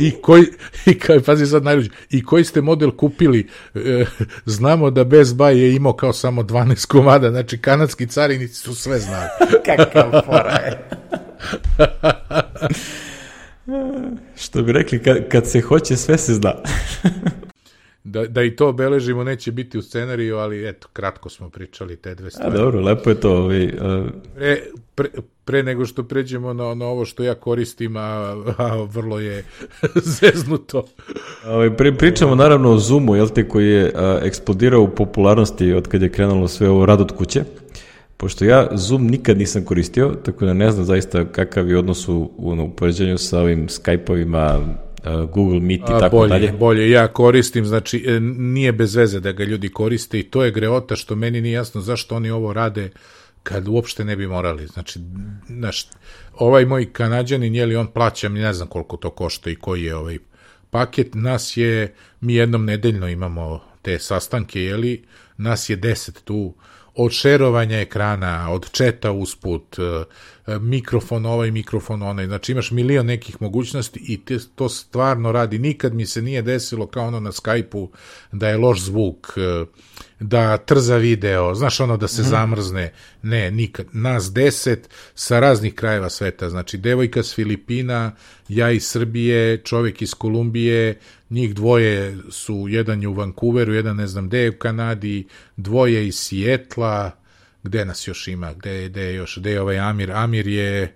I koji, i kao, pazi sad najluđe, i koji ste model kupili, e, znamo da Best Buy je imao kao samo dvanaest komada, znači kanadski carinici su sve znali. Kakav fora je. Što bi rekli, kad, kad se hoće, sve se zna. Da, da i to obeležimo, neće biti u scenariju, ali eto, kratko smo pričali te dve stvari. A dobro, lepo je to. Ovaj, uh... pre, pre, pre nego što pređemo na, na ovo što ja koristim, a, a vrlo je zeznuto. Ovaj, pri, pričamo naravno o Zoomu, jel te, koji je a, eksplodirao u popularnosti od kad je krenulo sve ovo rad od kuće. Pošto ja Zoom nikad nisam koristio, tako da ne znam zaista kakav je odnos u, u poređenju sa ovim Skype-ovima, Google Meet i tako bolje, dalje. Bolje, ja koristim, znači nije bez veze da ga ljudi koriste i to je greota što meni nije jasno zašto oni ovo rade kad uopšte ne bi morali. Znači, naš, ovaj moj Kanađanin, jeli on plaća, mi ne znam koliko to košta i koji je ovaj paket, nas je, mi jednom nedeljno imamo te sastanke, jeli, nas je deset tu, od šerovanja ekrana, od četa usput, mikrofon ovaj, mikrofon onaj, znači imaš milion nekih mogućnosti i te, to stvarno radi. Nikad mi se nije desilo kao ono na Skype-u da je loš zvuk, da trza video, znaš ono da se zamrzne, ne, nikad. Nas deset sa raznih krajeva sveta, znači devojka s Filipina, ja iz Srbije, čovjek iz Kolumbije, njih dvoje su, jedan je u Vancouveru, jedan ne znam gde je u Kanadi, dvoje iz Sijetla, gde nas još ima, gde, gde je još, gde je ovaj Amir, Amir je,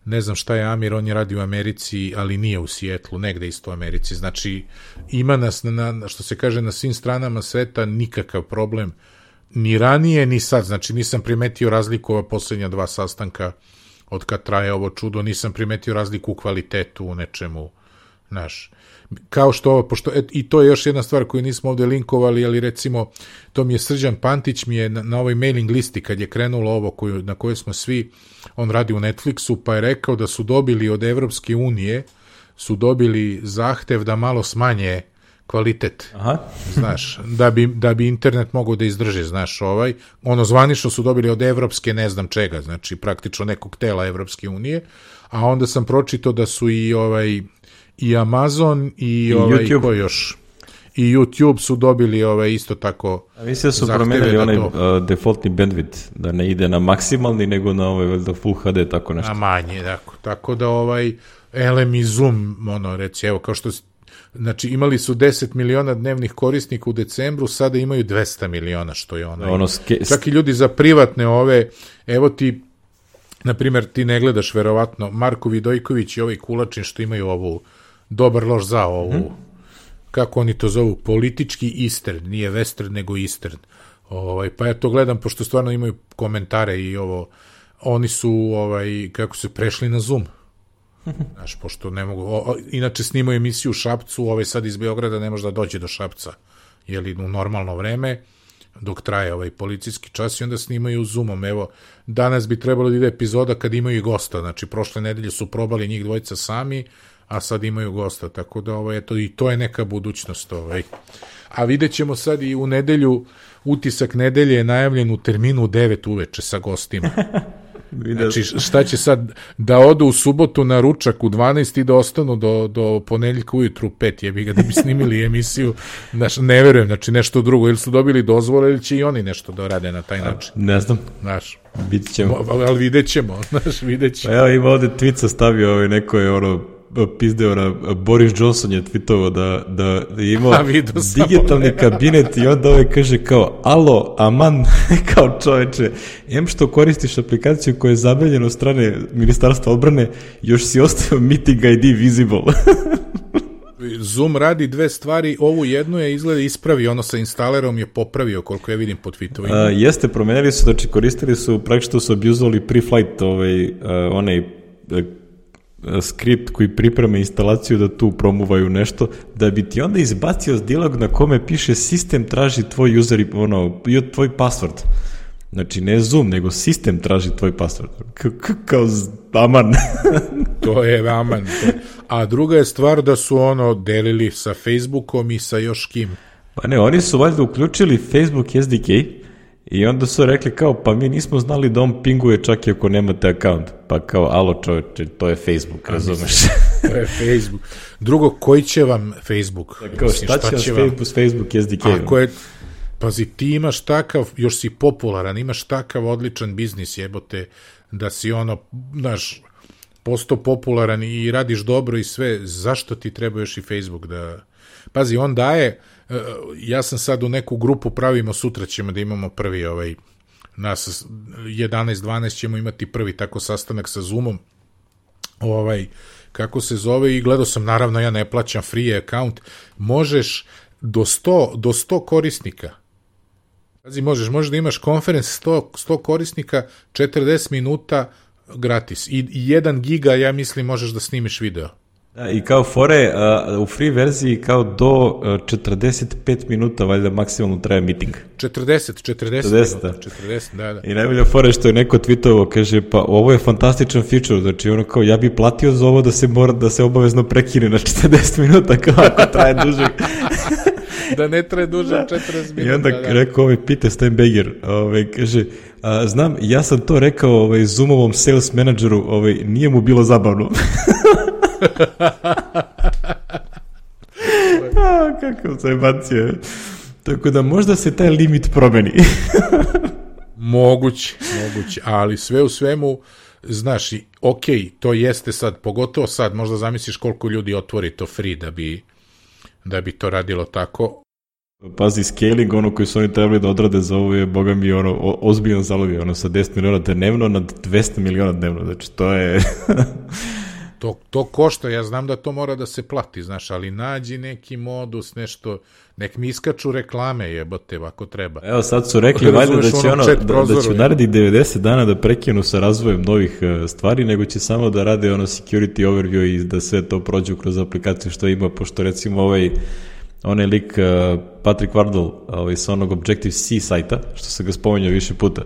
ne znam šta je Amir, on je radi u Americi, ali nije u Sijetlu, negde isto u Americi, znači ima nas, na, što se kaže, na svim stranama sveta, nikakav problem, ni ranije, ni sad, znači nisam primetio razliku ova posljednja dva sastanka, od kad traje ovo čudo, nisam primetio razliku u kvalitetu, u nečemu, znaš, kao što ovo, pošto, et, i to je još jedna stvar koju nismo ovde linkovali, ali recimo, to mi je Srđan Pantić, mi je na, na ovoj mailing listi, kad je krenulo ovo koju, na kojoj smo svi, on radi u Netflixu, pa je rekao da su dobili od Evropske unije, su dobili zahtev da malo smanje kvalitet, aha. Znaš, da bi, da bi internet mogao da izdrži, znaš, ovaj, ono zvanično su dobili od Evropske ne znam čega, znači praktično nekog tela Evropske unije, a onda sam pročitao da su i ovaj, i Amazon i, I ovaj, YouTube. Ko još? I YouTube su dobili ovaj, isto tako. A mislim da su promenili onaj uh, defaultni bandwidth, da ne ide na maksimalni, nego na ovaj veljda Full H D, tako nešto. Na manje, tako, tako da ovaj L M i Zoom, ono, reci, evo, kao što, znači, imali su deset miliona dnevnih korisnika u decembru, sada imaju dvesta miliona, što je ono. ono ske... Čak i ljudi za privatne ove, evo ti, na primjer, ti ne gledaš verovatno, Marko Vidojković i ovaj Kulačin što imaju ovu dobar loš za ovu, hmm. kako oni to zovu, politički Eastern, nije Western, nego Eastern. Ovaj, pa ja to gledam, pošto stvarno imaju komentare i ovo, oni su, ovaj, kako se prešli na Zoom. Znaš, pošto ne mogu, o, o, inače snimaju emisiju u Šapcu, ovaj sad iz Beograda ne može da dođe do Šapca, jeli u normalno vreme, dok traje ovaj policijski čas i onda snimaju Zoomom. Evo, danas bi trebalo da ide epizoda kad imaju gosta, znači prošle nedelje su probali njih dvojica sami, a sad imaju gosta, tako da ovaj, eto, i to je neka budućnost. Ovaj. A vidjet ćemo sad i u nedelju, utisak nedelje je najavljen u terminu devet uveče sa gostima. Znači, šta će sad, da odu u subotu na ručak u dvanaest i da ostanu do, do ponedeljka ujutru u pet, jebi ga, da bi snimili emisiju, znači, ne verujem, znači nešto drugo, ili su dobili dozvole, ili će i oni nešto da rade na taj način. Ne znam. Znaš, vidit ćemo. Ali vidjet ćemo, znaš, vidjet ćemo. Pa ja ima ovde tweet stavio ovaj neko je ono, pizdeo, Boris Johnson je tweetovao da, da je imao digitalni kabinet i onda ovaj kaže kao, alo, aman, kao čoveče, em što koristiš aplikaciju koja je zabranjena od strane Ministarstva odbrane, još si ostavio meeting I D visible. Zoom radi dve stvari, ovu jednu je izgleda ispravi, ono sa instalerom je popravio, koliko ja vidim po tweetovima. Uh, jeste, promenili su, znači koristili su, praktično su abuzovali pre-flight, ovaj, uh, onaj uh, skript koji priprema instalaciju da tu promuvaju nešto, da bi ti onda izbacio dilog na kome piše sistem traži tvoj user i ono, tvoj password. Znači ne Zoom, nego sistem traži tvoj password. Kao aman. To je aman. A druga je stvar da su ono delili sa Facebookom i sa još kim. Pa ne, oni su valjda uključili Facebook S D K I onda su rekli kao, pa mi nismo znali da on pinguje čak i ako nemate account. Pa kao, alo čovječe, to je Facebook, razumeš? To je Facebook. Drugo, koji će vam Facebook? Da, kao, šta, šta će vam Facebook, Facebook S D K? Ako je, pazi, ti imaš takav, još si popularan, imaš takav odličan biznis, jebote, da si ono, znaš, postao popularan i radiš dobro i sve, zašto ti treba još i Facebook da... Pazi, on daje, ja sam sad u neku grupu, pravimo, sutra ćemo da imamo prvi ovaj, nas jedanaest dvanaest ćemo imati prvi tako sastanak sa Zoomom, ovaj, kako se zove, i gledao sam, naravno ja ne plaćam free account, možeš do sto, do sto korisnika, pazi, možeš, možeš da imaš konferens sto, sto korisnika, četrdeset minuta gratis, i jedan giga, ja mislim, možeš da snimiš video. Da, i kao fore, uh, u free verziji kao do uh, četrdeset pet minuta valjda maksimalno traje meeting. četrdeset, četrdeset, četrdeset, minuta, četrdeset, da, da. I najbolja fore što je neko tweetovo, kaže, pa ovo je fantastičan feature, znači ono kao, ja bi platio za ovo da se mora, da se obavezno prekine na četrdeset minuta, kao ako traje duže. Da ne traje duže od četrdeset minuta. I onda da. Rekao ovaj Peter Steinberger, ovaj, kaže, a, znam, ja sam to rekao ovaj, Zoomovom sales manageru, ovaj, nije mu bilo zabavno. A, kakav zajebancija. Tako da možda se taj limit promeni. Moguće, moguće, ali sve u svemu, znaš, ok, to jeste sad, pogotovo sad, možda zamisliš koliko ljudi otvori to free da bi, da bi to radilo tako. Pazi, scaling, ono koji su oni trebali da odrade za ovo je, boga mi, ono, o, ozbiljan zalovi, ono, sa deset miliona dnevno na dvesta miliona dnevno, znači to je... To, to košta, ja znam da to mora da se plati, znaš, ali nađi neki modus, nešto, nek mi iskaču reklame, jebote, ako treba. Evo sad su rekli, valjda da će, ono, da, da će narediti devedeset dana da prekinu sa razvojem novih uh, stvari, nego će samo da rade ono security overview i da sve to prođu kroz aplikaciju što ima, pošto recimo ovaj, onaj lik uh, Patrick Wardle, ovaj, sa onog Objective-C sajta, što se ga spominjao više puta.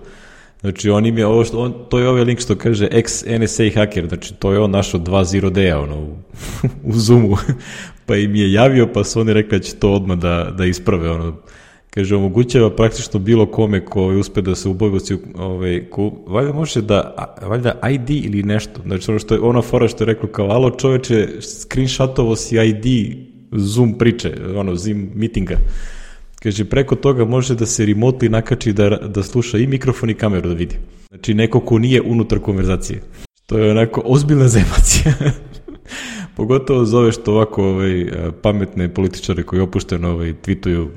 Znači, on im je ovo što, on, to je ovaj link što kaže ex-N S A hacker, znači to je on našao dva zero day-a ono, u, u Zoomu, pa im je javio, pa su oni rekli da će to odmah da, da isprave, ono, kaže, omogućava praktično bilo kome ko uspe da se ubogoci, ovaj, ko, valjda može da, valjda I D ili nešto, znači ono što je, ona fora što je rekla kao, alo čoveče, screenshotovo si I D Zoom priče, ono, Zoom meetinga. Kaže, preko toga može da se remotely nakači da, da sluša i mikrofon i kameru da vidi. Znači, neko ko nije unutar konverzacije. To je onako ozbiljna zemacija. Pogotovo zove što ovako ovaj, pametne političare koji opušteno ovaj, tweetuju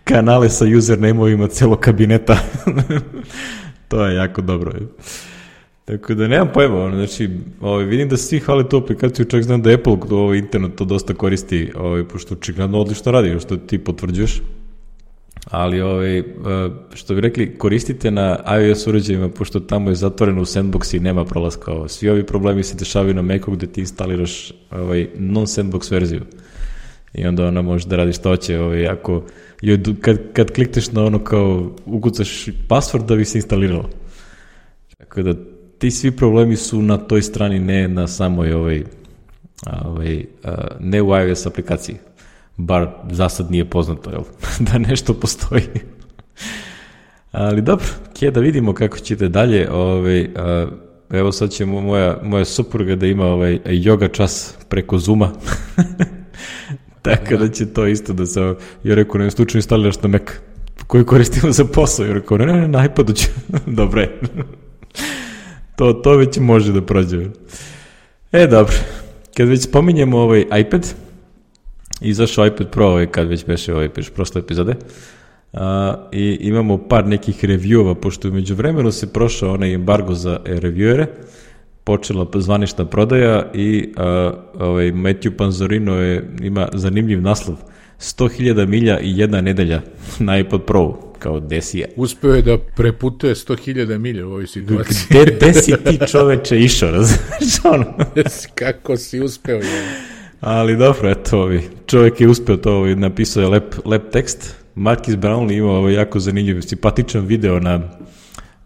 kanale sa username-ovima celog kabineta. To je jako dobro. Tako da nemam pojma, ono, znači, ovaj, vidim da svi hvale tu aplikaciju, čak znam da Apple ovaj, internet to dosta koristi, ovaj, pošto očigledno odlično radi, što ti potvrđuješ, ali ovaj, što bi rekli, koristite na iOS uređajima, pošto tamo je zatvoreno u sandbox i nema prolaska. Ovo. Svi ovi problemi se dešavaju na Macu gde ti instaliraš ovaj, non-sandbox verziju i onda ona može da radi što hoće, ovaj, ako, kad, kad klikneš na ono kao ukucaš password da bi se instaliralo. Tako da ti svi problemi su na toj strani, ne na samoj ovaj, ovaj, ne u iOS aplikaciji. Bar za sad nije poznato, jel? Da nešto postoji. Ali dobro, kje da vidimo kako ćete dalje. Ovaj, evo sad će moja, moja supruga da ima ovaj yoga čas preko Zooma. Tako da će to isto da se... Ja rekao, ne slučajno instaliraš na Mac koji koristimo za posao. Ja rekao, ne, ne, ne, na iPadu ću. Dobre. To, to već može da prođe. E, dobro. Kad već spominjemo ovaj iPad, izašao iPad Pro, ovaj, kad već beše ovaj, prošle epizode, a, i imamo par nekih reviewova, pošto umeđu vremenu se prošao onaj embargo za reviewere, počela zvanična prodaja i a, ovaj, Matthew Panzorino je, ima zanimljiv naslov, sto hiljada milja i jedna nedelja na iPad Pro, kao desi je. Uspeo je da preputuje sto hiljada milja u ovoj situaciji. Gde, gde si ti čoveče išao, razumiješ ono? Kako si uspeo, je. Ali dobro, eto, ovi, čovjek je uspeo to, ovi, napisao je lep, lep tekst. Marcus Brownlee imao ovaj jako zanimljiv, simpatičan video na,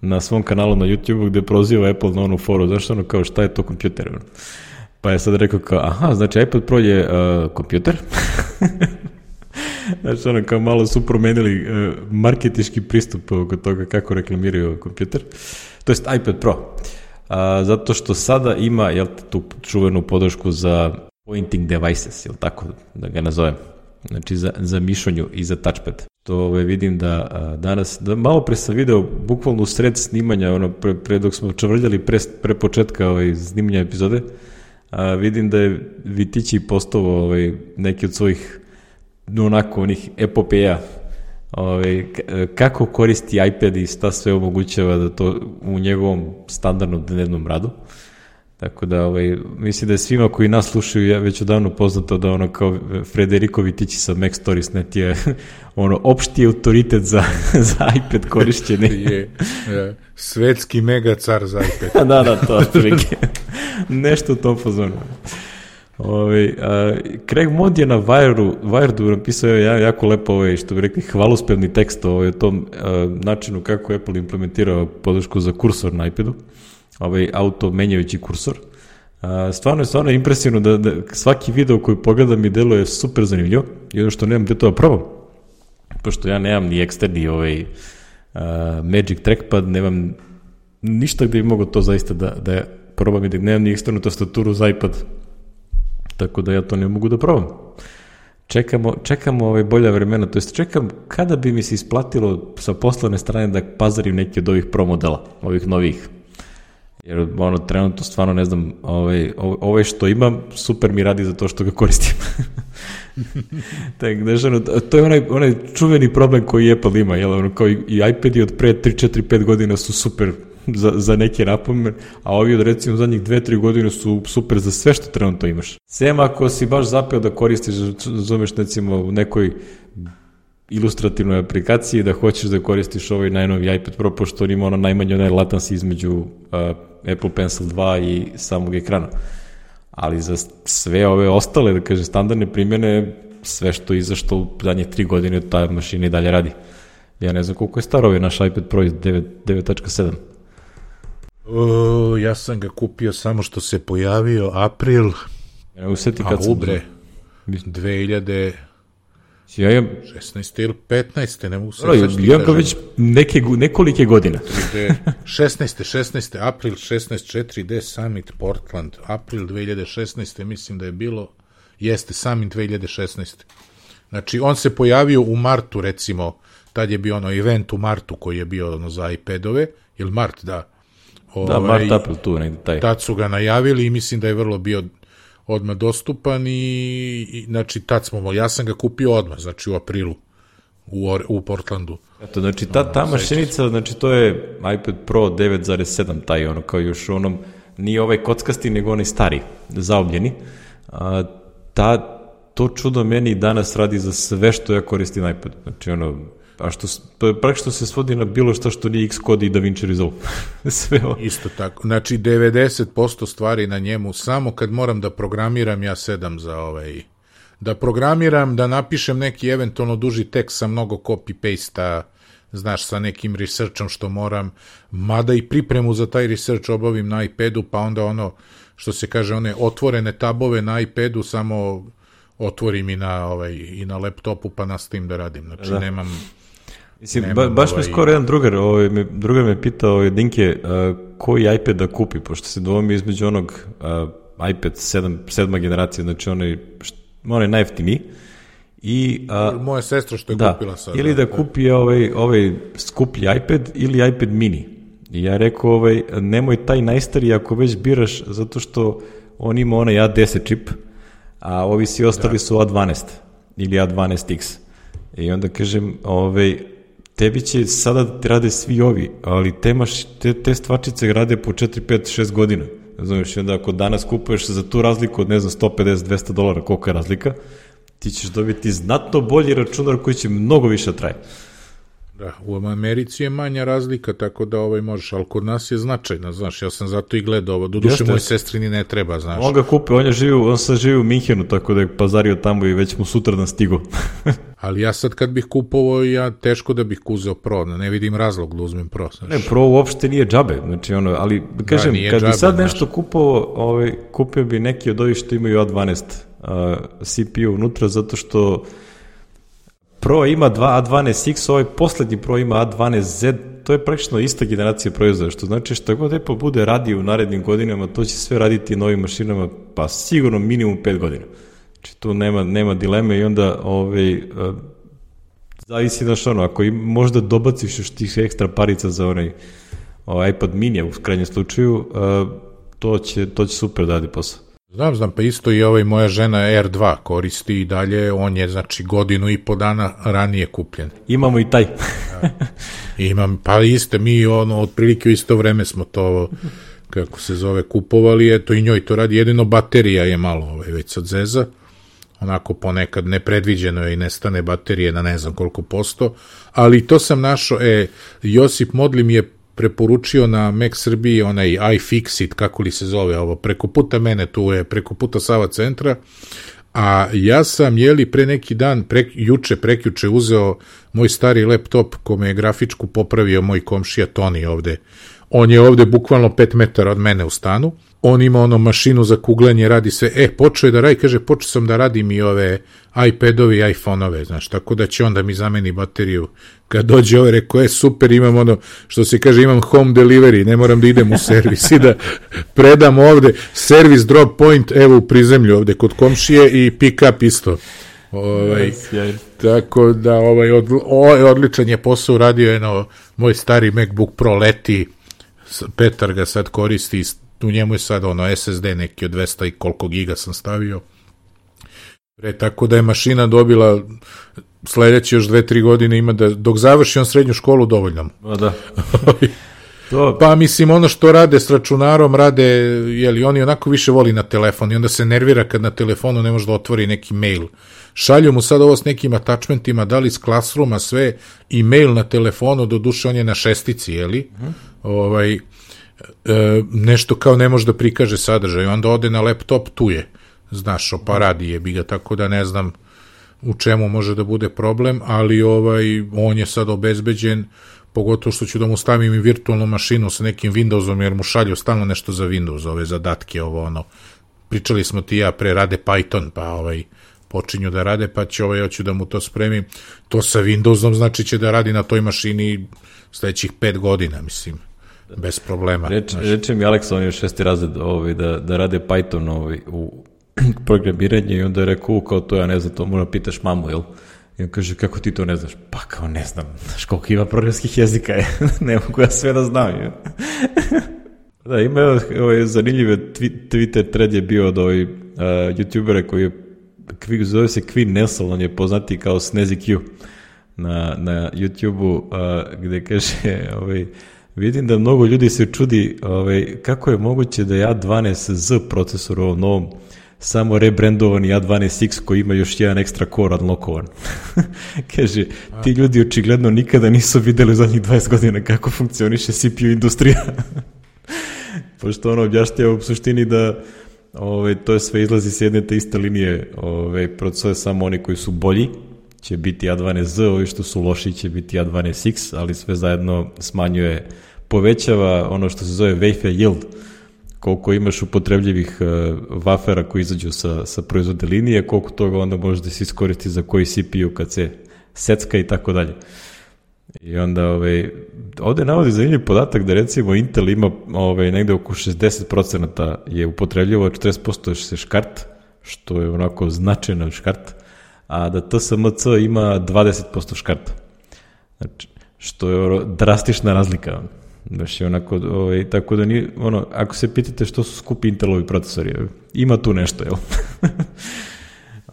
na svom kanalu na YouTube gde proziva Apple na onu foru, zašto ono kao šta je to kompjuter? Pa je sad rekao kao, aha, znači iPad Pro je uh, kompjuter. Znači, ono, kao malo su promenili uh, marketički pristup oko toga kako reklamiraju kompjuter. To jest iPad Pro. Uh, zato što sada ima, jel, tu čuvenu podršku za pointing devices, jel tako da ga nazovem. Znači, za, za mišonju i za touchpad. To ove, vidim da a, danas, da malo pre sam video, bukvalno u sred snimanja, ono, pre, pre dok smo čavrljali pre, pre početka ovaj, snimanja epizode, a, vidim da je Vitići postovao ovaj, neki od svojih onako onih epopeja, ovaj, kako koristi iPad i šta sve omogućava da to u njegovom standardnom dnevnom radu. Tako da, ovaj, mislim da je svima koji nas slušaju ja već odavno poznato da ono kao Frederico Vitići sa Mac Stories net je ono opšti autoritet za, za iPad korišćenje. je, je, svetski mega car za iPad. da, da, to otprilike. Nešto u tom fazonu. Ovaj, a, Craig Mod je na Wiredu, Wiredu napisao je jako lepo, ovaj, što bi rekli, hvalospevni tekst ovaj, o tom a, načinu kako Apple implementirao podršku za kursor na iPadu. Ovaj auto menjajući kursor. A, stvarno je stvarno impresivno da, da svaki video koji pogledam mi deluje super zanimljivo i ono što nemam gde to da probam. Pošto ja nemam ni eksterni ovaj, a, Magic Trackpad, nemam ništa gde bi mogo to zaista da, da probam i da nemam ni eksternu tastaturu za iPad. Tako da ja to ne mogu da probam. Čekamo, čekamo ove bolja vremena, to jest čekam kada bi mi se isplatilo sa poslovne strane da pazarim neki od ovih pro modela, ovih novih. Jer ono, trenutno stvarno ne znam, ovaj, ovaj što imam, super mi radi za to što ga koristim. tak, znaš, ono, to je onaj, onaj čuveni problem koji Apple ima, jel, ono, kao i, i iPadi od pre tri, četiri, pet godina su super za, za neke napomene, a ovi od recimo zadnjih dve, tri godine su super za sve što trenutno imaš. Sem ako si baš zapeo da koristiš, zoveš recimo u nekoj ilustrativnoj aplikaciji da hoćeš da koristiš ovaj najnoviji iPad Pro, pošto on ima ono najmanje onaj latency između uh, Apple Pencil dva i samog ekrana. Ali za sve ove ostale, da kažem, standardne primjene, sve što izašlo u zadnjih tri godine, ta mašina i dalje radi. Ja ne znam koliko je star ovaj naš iPad Pro iz devet tačka sedam. O, ja sam ga kupio samo što se pojavio april, Ja ne usjeti kad a sam... ubre, dve hiljade Ja imam... šesnaeste ili petnaeste, ne mogu se Ro, ja imam već neke, nekolike godine. šesnaeste, šesnaeste, april šesnaest, četiri D Summit Portland, april dve hiljade šesnaeste, mislim da je bilo, jeste Summit dve hiljade šesnaeste. Znači, on se pojavio u martu, recimo, tad je bio ono event u martu koji je bio ono za iPadove, ili mart, da. Da, Ove, mart, april, tu negdje taj. Tad su ga najavili i mislim da je vrlo bio odmah dostupan i, i znači tad smo, ja sam ga kupio odmah, znači u aprilu u, u Portlandu. Eto, znači ta, ta mašinica, znači to je iPad Pro devet zarez sedam, taj ono kao još onom, nije ovaj kockasti, nego onaj stari, zaobljeni. A, ta, to čudo meni danas radi za sve što ja koristim iPad. Znači ono, a što, praktično se svodi na bilo što što nije Xcode i DaVinci Resolve. Sve ovo. Isto tako. Znači, devedeset posto stvari na njemu, samo kad moram da programiram, ja sedam za ovaj... Da programiram, da napišem neki eventualno duži tekst sa mnogo copy-paste-a, znaš, sa nekim researchom što moram, mada i pripremu za taj research obavim na iPadu, pa onda ono, što se kaže, one otvorene tabove na iPadu, samo otvorim i na, ovaj, i na laptopu, pa nastavim da radim. Znači, da. nemam... Mislim, ba, baš ovaj... me skoro jedan drugar, ovaj, me, drugar me pitao, ovaj, Dinke, uh, koji iPad da kupi, pošto se dvomi između onog uh, iPad sedam, sedma generacija, znači onaj, onaj najjeftiniji, i... Uh, moja sestra što je da, kupila sad. Ili da kupi ovaj, ovaj skuplji iPad ili iPad mini. I ja rekao, ovaj, nemoj taj najstariji ako već biraš, zato što on ima onaj A deset čip, a ovi svi ostali da. su A dvanaest ili A dvanaest X. I onda kažem, ovaj, tebi će sada rade svi ovi, ali te, maš, te, te stvačice rade po četiri, pet, šest godina. Znaš, onda ako danas kupuješ za tu razliku od, ne znam, sto pedeset do dvesta dolara, koliko je razlika, ti ćeš dobiti znatno bolji računar koji će mnogo više traje. Da, u Americi je manja razlika, tako da ovaj možeš, ali kod nas je značajna, znaš, ja sam zato i gledao ovo, doduše moj sestrini ne treba, znaš. On ga kupe, on je živi, on sad živi u Minhenu, tako da je pazario tamo i već mu sutradan stigo. Ali ja sad kad bih kupovao, ja teško da bih uzeo Pro, ne vidim razlog da uzmem Pro. Znaš. Ne, Pro uopšte nije džabe, znači ono, ali kažem, da, kad džabe, bi sad nešto znaš. kupovao, ovaj, kupio bi neki od ovih što imaju A dvanaest uh, C P U unutra, zato što Pro ima dva A dvanaest X, ovaj poslednji Pro ima A dvanaest Z, to je praktično ista generacija proizvoda, što znači šta god Apple bude radio u narednim godinama, to će sve raditi novim mašinama, pa sigurno minimum pet godina. Znači tu nema, nema dileme i onda ovaj, uh, zavisi da što ono, ako im možda dobaciš još tih ekstra parica za onaj ovaj iPad mini u krajnjem slučaju, uh, to, će, to će super da radi posao. Znam, znam, pa isto i ovaj moja žena R dva koristi i dalje, on je znači godinu i po dana ranije kupljen. Imamo i taj. Ja. Imam, pa iste, mi ono, otprilike u isto vreme smo to, kako se zove, kupovali, eto i njoj to radi, jedino baterija je malo ovaj, već sad zeza, onako ponekad nepredviđeno je i nestane baterije na ne znam koliko posto, ali to sam našao, e, Josip Modli mi je preporučio na Mac Srbiji onaj iFixit, kako li se zove ovo, preko puta mene, tu je preko puta Sava centra, a ja sam, jeli, pre neki dan, pre, juče, prekjuče uzeo moj stari laptop kome je grafičku popravio moj komšija Toni ovde. On je ovde bukvalno pet metara od mene u stanu, on ima ono mašinu za kuglanje, radi sve, e, počeo je da radi, kaže, počeo sam da radim i ove iPadovi i iPhone-ove, znaš, tako da će onda mi zameni bateriju. Kad dođe ovo, rekao, je super, imam ono, što se kaže, imam home delivery, ne moram da idem u servis i da predam ovde, service drop point, evo u prizemlju ovde kod komšije i pick up isto. Ovaj, yes, tako da, ovaj, od, ovaj odličan je posao uradio, jedno, moj stari MacBook Pro leti, Petar ga sad koristi, u njemu je sad ono S S D neki od dvesta i koliko giga sam stavio. Pre, tako da je mašina dobila sledeće još dve, tri godine ima da, dok završi on srednju školu dovoljno. A da. To... Pa mislim ono što rade s računarom, rade, jeli oni onako više voli na telefon i onda se nervira kad na telefonu ne može da otvori neki mail. Šalju mu sad ovo s nekim attachmentima, da li s Classrooma sve, i mail na telefonu, do duše on je na šestici, jeli? Uh-huh. Ovaj, e, nešto kao ne može da prikaže sadržaj, onda ode na laptop, tu je, znaš, pa radi je bi ga, tako da ne znam u čemu može da bude problem, ali ovaj, on je sad obezbeđen, pogotovo što ću da mu stavim i virtualnu mašinu sa nekim Windowsom, jer mu šalju stalno nešto za Windows, ove zadatke, ovo ono, pričali smo ti ja, pre rade Python, pa ovaj, počinju da rade, pa će ovaj, hoću da mu to spremim, to sa Windowsom znači će da radi na toj mašini sledećih pet godina, mislim, bez problema. Reč, reče mi Aleksa, on je šesti razred, ovaj, da, da rade Python ovaj, u programiranje i onda je rekao, kao to ja ne znam, to moram pitaš mamu, jel? I on kaže, kako ti to ne znaš? Pa kao ne znam, znaš koliko ima programskih jezika je, ne mogu ja sve da znam. Je. Da, ima ovaj, zanimljive Twitter thread je bio od ovih uh, youtubera koji je, zove se Queen Nelson, on je poznati kao Snazzy Q na, na YouTube-u, uh, gde kaže, ovaj, vidim da mnogo ljudi se čudi ovaj, kako je moguće da je A dvanaest Z procesor u ovom novom samo rebrandovani A dvanaest X koji ima još jedan ekstra core unlockovan. Kaže, ti ljudi očigledno nikada nisu videli u zadnjih dvadeset godina kako funkcioniše C P U industrija. Pošto ono objašnjava u suštini da ovaj, to je sve izlazi s jedne te iste linije, ovaj, procesore samo oni koji su bolji će biti A dvanaest Z, ovi što su loši će biti A dvanaest X, ali sve zajedno smanjuje, povećava ono što se zove wafer yield, koliko imaš upotrebljivih uh, wafera koji izađu sa, sa proizvodne linije, koliko toga onda može da se iskoristi za koji C P U kad se secka i tako dalje. I onda ovaj, ovde navodi zanimljiv podatak da recimo Intel ima ovaj, negde oko šezdeset procenta je upotrebljivo, četrdeset posto je se škart, što je onako značajno škart, a da T S M C ima dvadeset posto škarta. Znači, što je drastična razlika. Baš je onako, ovaj, tako da nije, ono, ako se pitate što su skupi Intelovi procesori, ima tu nešto, jel?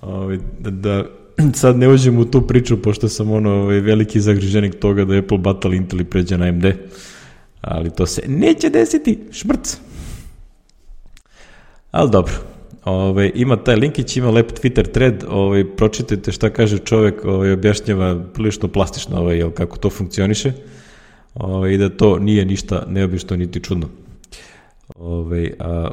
ovaj, da, da sad ne uđem u tu priču, pošto sam ono, ovaj, veliki zagriženik toga da Apple batali Intel i pređe na A M D, ali to se neće desiti, šmrc. Ali dobro. Ove, ima taj linkić, ima lep Twitter thread, ove, pročitajte šta kaže čovek, ove, objašnjava prilično plastično ove, jel, kako to funkcioniše, ove, i da to nije ništa neobično niti čudno. Ove, a,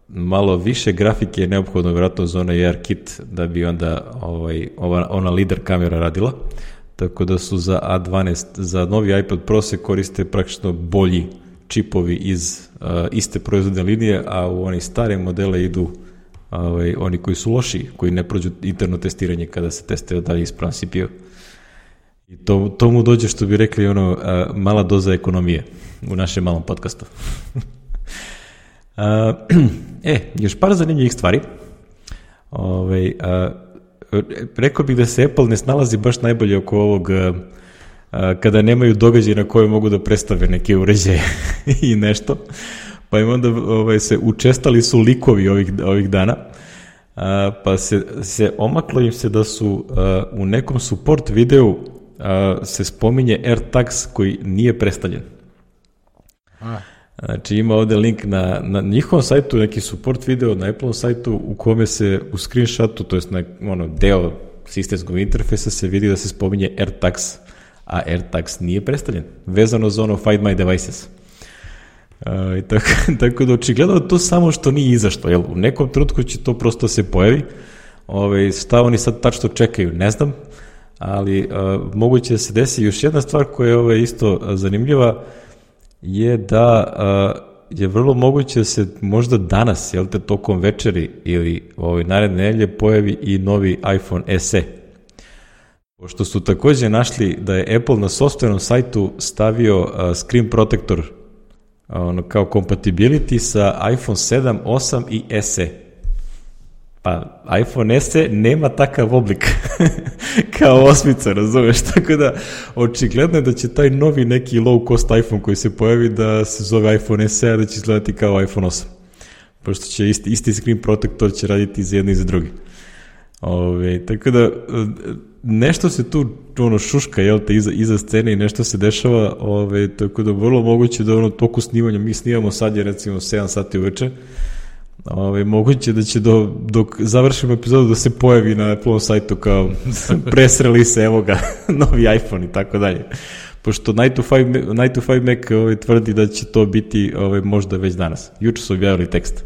malo više grafike je neophodno vjerojatno za onaj A R kit da bi onda ovaj, ova, ona lider kamera radila, tako da su za A dvanaest, za novi iPad Pro se koriste praktično bolji čipovi iz uh, iste proizvodne linije, a u oni stare modele idu ovaj, oni koji su loši, koji ne prođu interno testiranje kada se testira da li ispravan C P U. I to, to mu dođe, što bi rekli, ono, a, mala doza ekonomije u našem malom podcastu. a, e, još par zanimljivih stvari. Ove, a, rekao bih da se Apple ne snalazi baš najbolje oko ovog a, a, kada nemaju događaj na koje mogu da predstave neke uređaje i nešto. Pa im onda ovaj, se učestali su likovi ovih, ovih dana. A, pa se, se omaklo im se da su a, u nekom support videu a, se spominje AirTags koji nije predstavljen. A. Znači ima ovde link na, na njihovom sajtu, neki support video na Apple sajtu u kome se u screenshotu, to jest na ono, deo sistemskog interfejsa se vidi da se spominje AirTags, a AirTags nije predstavljen, vezano za ono Find My Devices. Uh, tako, tako da očigledno to samo što nije izašlo, jel? U nekom trenutku će to prosto se pojavi. Ove, šta oni sad tačno čekaju, ne znam, ali uh, moguće da se desi. Još jedna stvar koja je ove, isto zanimljiva je da uh, je vrlo moguće da se možda danas, jel te, tokom večeri ili ove, naredne nedelje pojavi i novi iPhone S E. Pošto su takođe našli da je Apple na sopstvenom sajtu stavio uh, screen protector ono, kao compatibility sa iPhone sedam, osam i S E. Pa iPhone S E nema takav oblik kao osmica, razumeš? Tako da očigledno je da će taj novi neki low cost iPhone koji se pojavi da se zove iPhone S E, a da će izgledati kao iPhone osam. Pošto će isti, isti screen protector će raditi za jedno i za drugi. Ove, tako da nešto se tu ono šuška, jel te, iza, iza scene i nešto se dešava, ove, tako da vrlo moguće da ono toku snimanja, mi snimamo sad je recimo sedam sati uveče, ove, moguće da će do, dok završimo epizodu da se pojavi na Apple sajtu kao press release, evo ga, novi iPhone i tako dalje. Pošto nine to five Mac ove, tvrdi da će to biti ove, možda već danas. Juče su objavili tekst.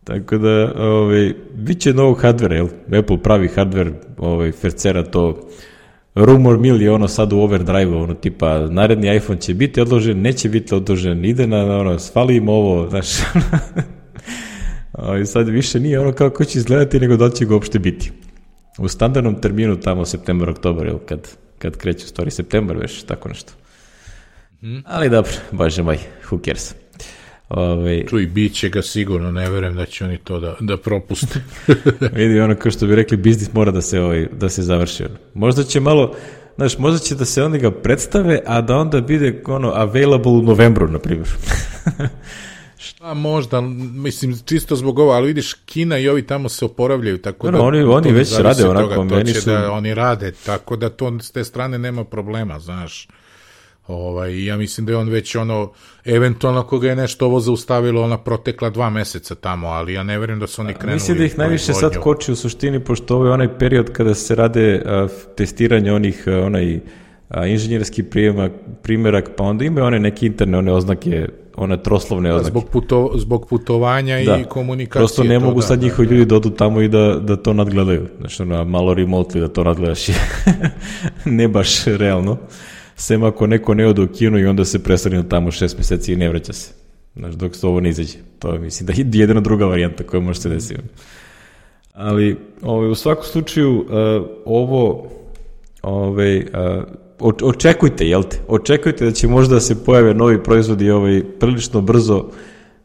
Tako da, ovaj, bit će novog hardvera, jel? Apple pravi hardver, ovaj, fercera to, rumor mill je ono sad u overdrive-u, ono tipa, naredni iPhone će biti odložen, neće biti odložen, ide na, ono, svali im ovo, znaš, ovaj, sad više nije ono kako će izgledati, nego da će ga uopšte biti. U standardnom terminu tamo septembar, oktobar, jel? Kad, kad kreće, stvari septembar već, tako nešto. Hmm. Ali dobro, bože moj, who cares? Ove, Čuj, bit će ga sigurno, ne verujem da će oni to da, da propuste. Vidi, ono kao što bi rekli, biznis mora da se, ovaj, da se završi. Možda će malo, znaš, možda će da se oni ga predstave, a da onda bude ono, available u novembru, na primjer. A možda, mislim, čisto zbog ovo, ali vidiš, Kina i ovi tamo se oporavljaju, tako no, da... Oni, oni već rade onako, toga, meni to su... Da oni rade, tako da to s te strane nema problema, znaš. Ovaj, ja mislim da je on već ono, eventualno ako ga je nešto ovo zaustavilo, ona protekla dva meseca tamo, ali ja ne verujem da su oni krenuli. Mislim da ih najviše sad koči u suštini, pošto ovo je onaj period kada se rade a, testiranje onih, a, onaj a, inženjerski prijemak, primjerak, pa onda imaju one neke interne, one oznake, one troslovne oznake. Zbog, puto, zbog putovanja da. I komunikacije. Prosto ne mogu da, sad da, njihovi da, ljudi da odu tamo i da, da to nadgledaju. Znači, ono, malo remotely da to nadgledaš. Ne baš realno. Sem ako neko ne ode u Kinu i onda se preseli tamo šest meseci i ne vraća se. Znaš, dok se ovo ne izađe. To je, mislim, da je jedina druga varijanta koja može se desiti. Ali, ovaj, u svakom slučaju, uh, ovo, ovaj, uh, očekujte, jel te? Očekujte da će možda se pojave novi proizvodi ovaj, prilično brzo,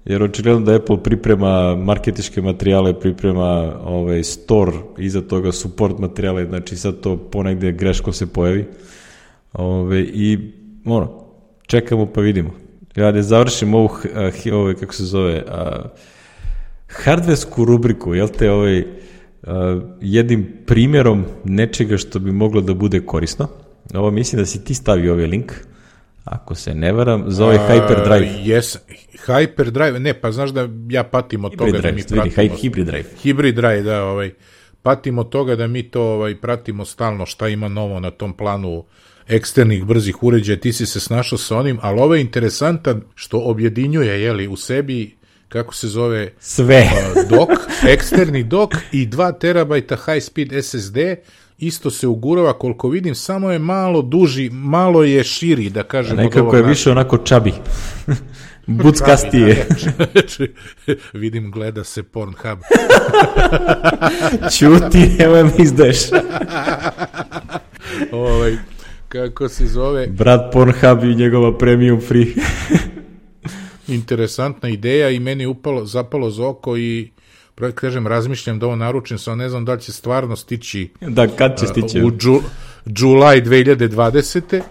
jer očigledno da Apple priprema marketičke materijale, priprema ovaj, store, iza toga support materijale, znači sad to ponegde greško se pojavi. Ove, i ono, čekamo pa vidimo. Ja da završim ovu, ove, kako se zove, a, hardversku rubriku, jel te, ovaj, a, jednim primjerom nečega što bi moglo da bude korisno. Ovo mislim da si ti stavio ovaj link, ako se ne varam, za ovaj Hyperdrive. Uh, yes, Hyperdrive, ne, pa znaš da ja patim od Hybrid toga drive, da mi pratimo. vidi, Hybrid Drive. Hybrid Drive, da, ovaj, patim od toga da mi to ovaj, pratimo stalno šta ima novo na tom planu eksternih brzih uređaja, ti si se snašao sa onim, ali ovo je interesantan što objedinjuje, jeli, u sebi, kako se zove, sve uh, dok, eksterni dok i dva terabajta high speed S S D, isto se ugurava, koliko vidim, samo je malo duži, malo je širi, da kažem. Nekako je više onako čabi. Buckastije. Vidim, gleda se Pornhub. Čuti, evo mi izdeš. ovaj, kako se zove... Brat Pornhub i njegova premium free. Interesantna ideja i meni upalo, zapalo za oko i kažem, razmišljam da ovo naručim, samo ne znam da li će stvarno stići da, kad će stići? u džu, Julaj dve hiljade dvadesete.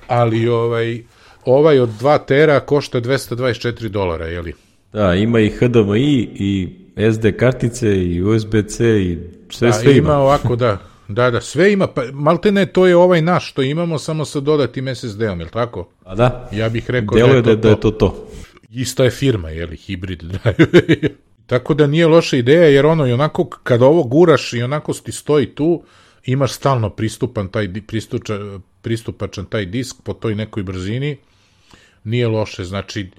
Ali ovaj, ovaj od dva tera košta dvesta dvadeset četiri dolara, jeli? Da, ima i H D M I i S D kartice i U S B C i sve, da, sve ima. Ima ovako, da. Da, da, sve ima, pa maltene to je ovaj naš što imamo, samo sa dodatim S S D-om, je li tako? A da, ja bih rekao deluje da je to, da je to to. Ista je firma, je li, Hybrid Drive. Tako da nije loša ideja, jer ono, i onako, kada ovo guraš i onako ti stoji tu, imaš stalno pristupan taj, pristuča, pristupačan taj disk po toj nekoj brzini, nije loše, znači,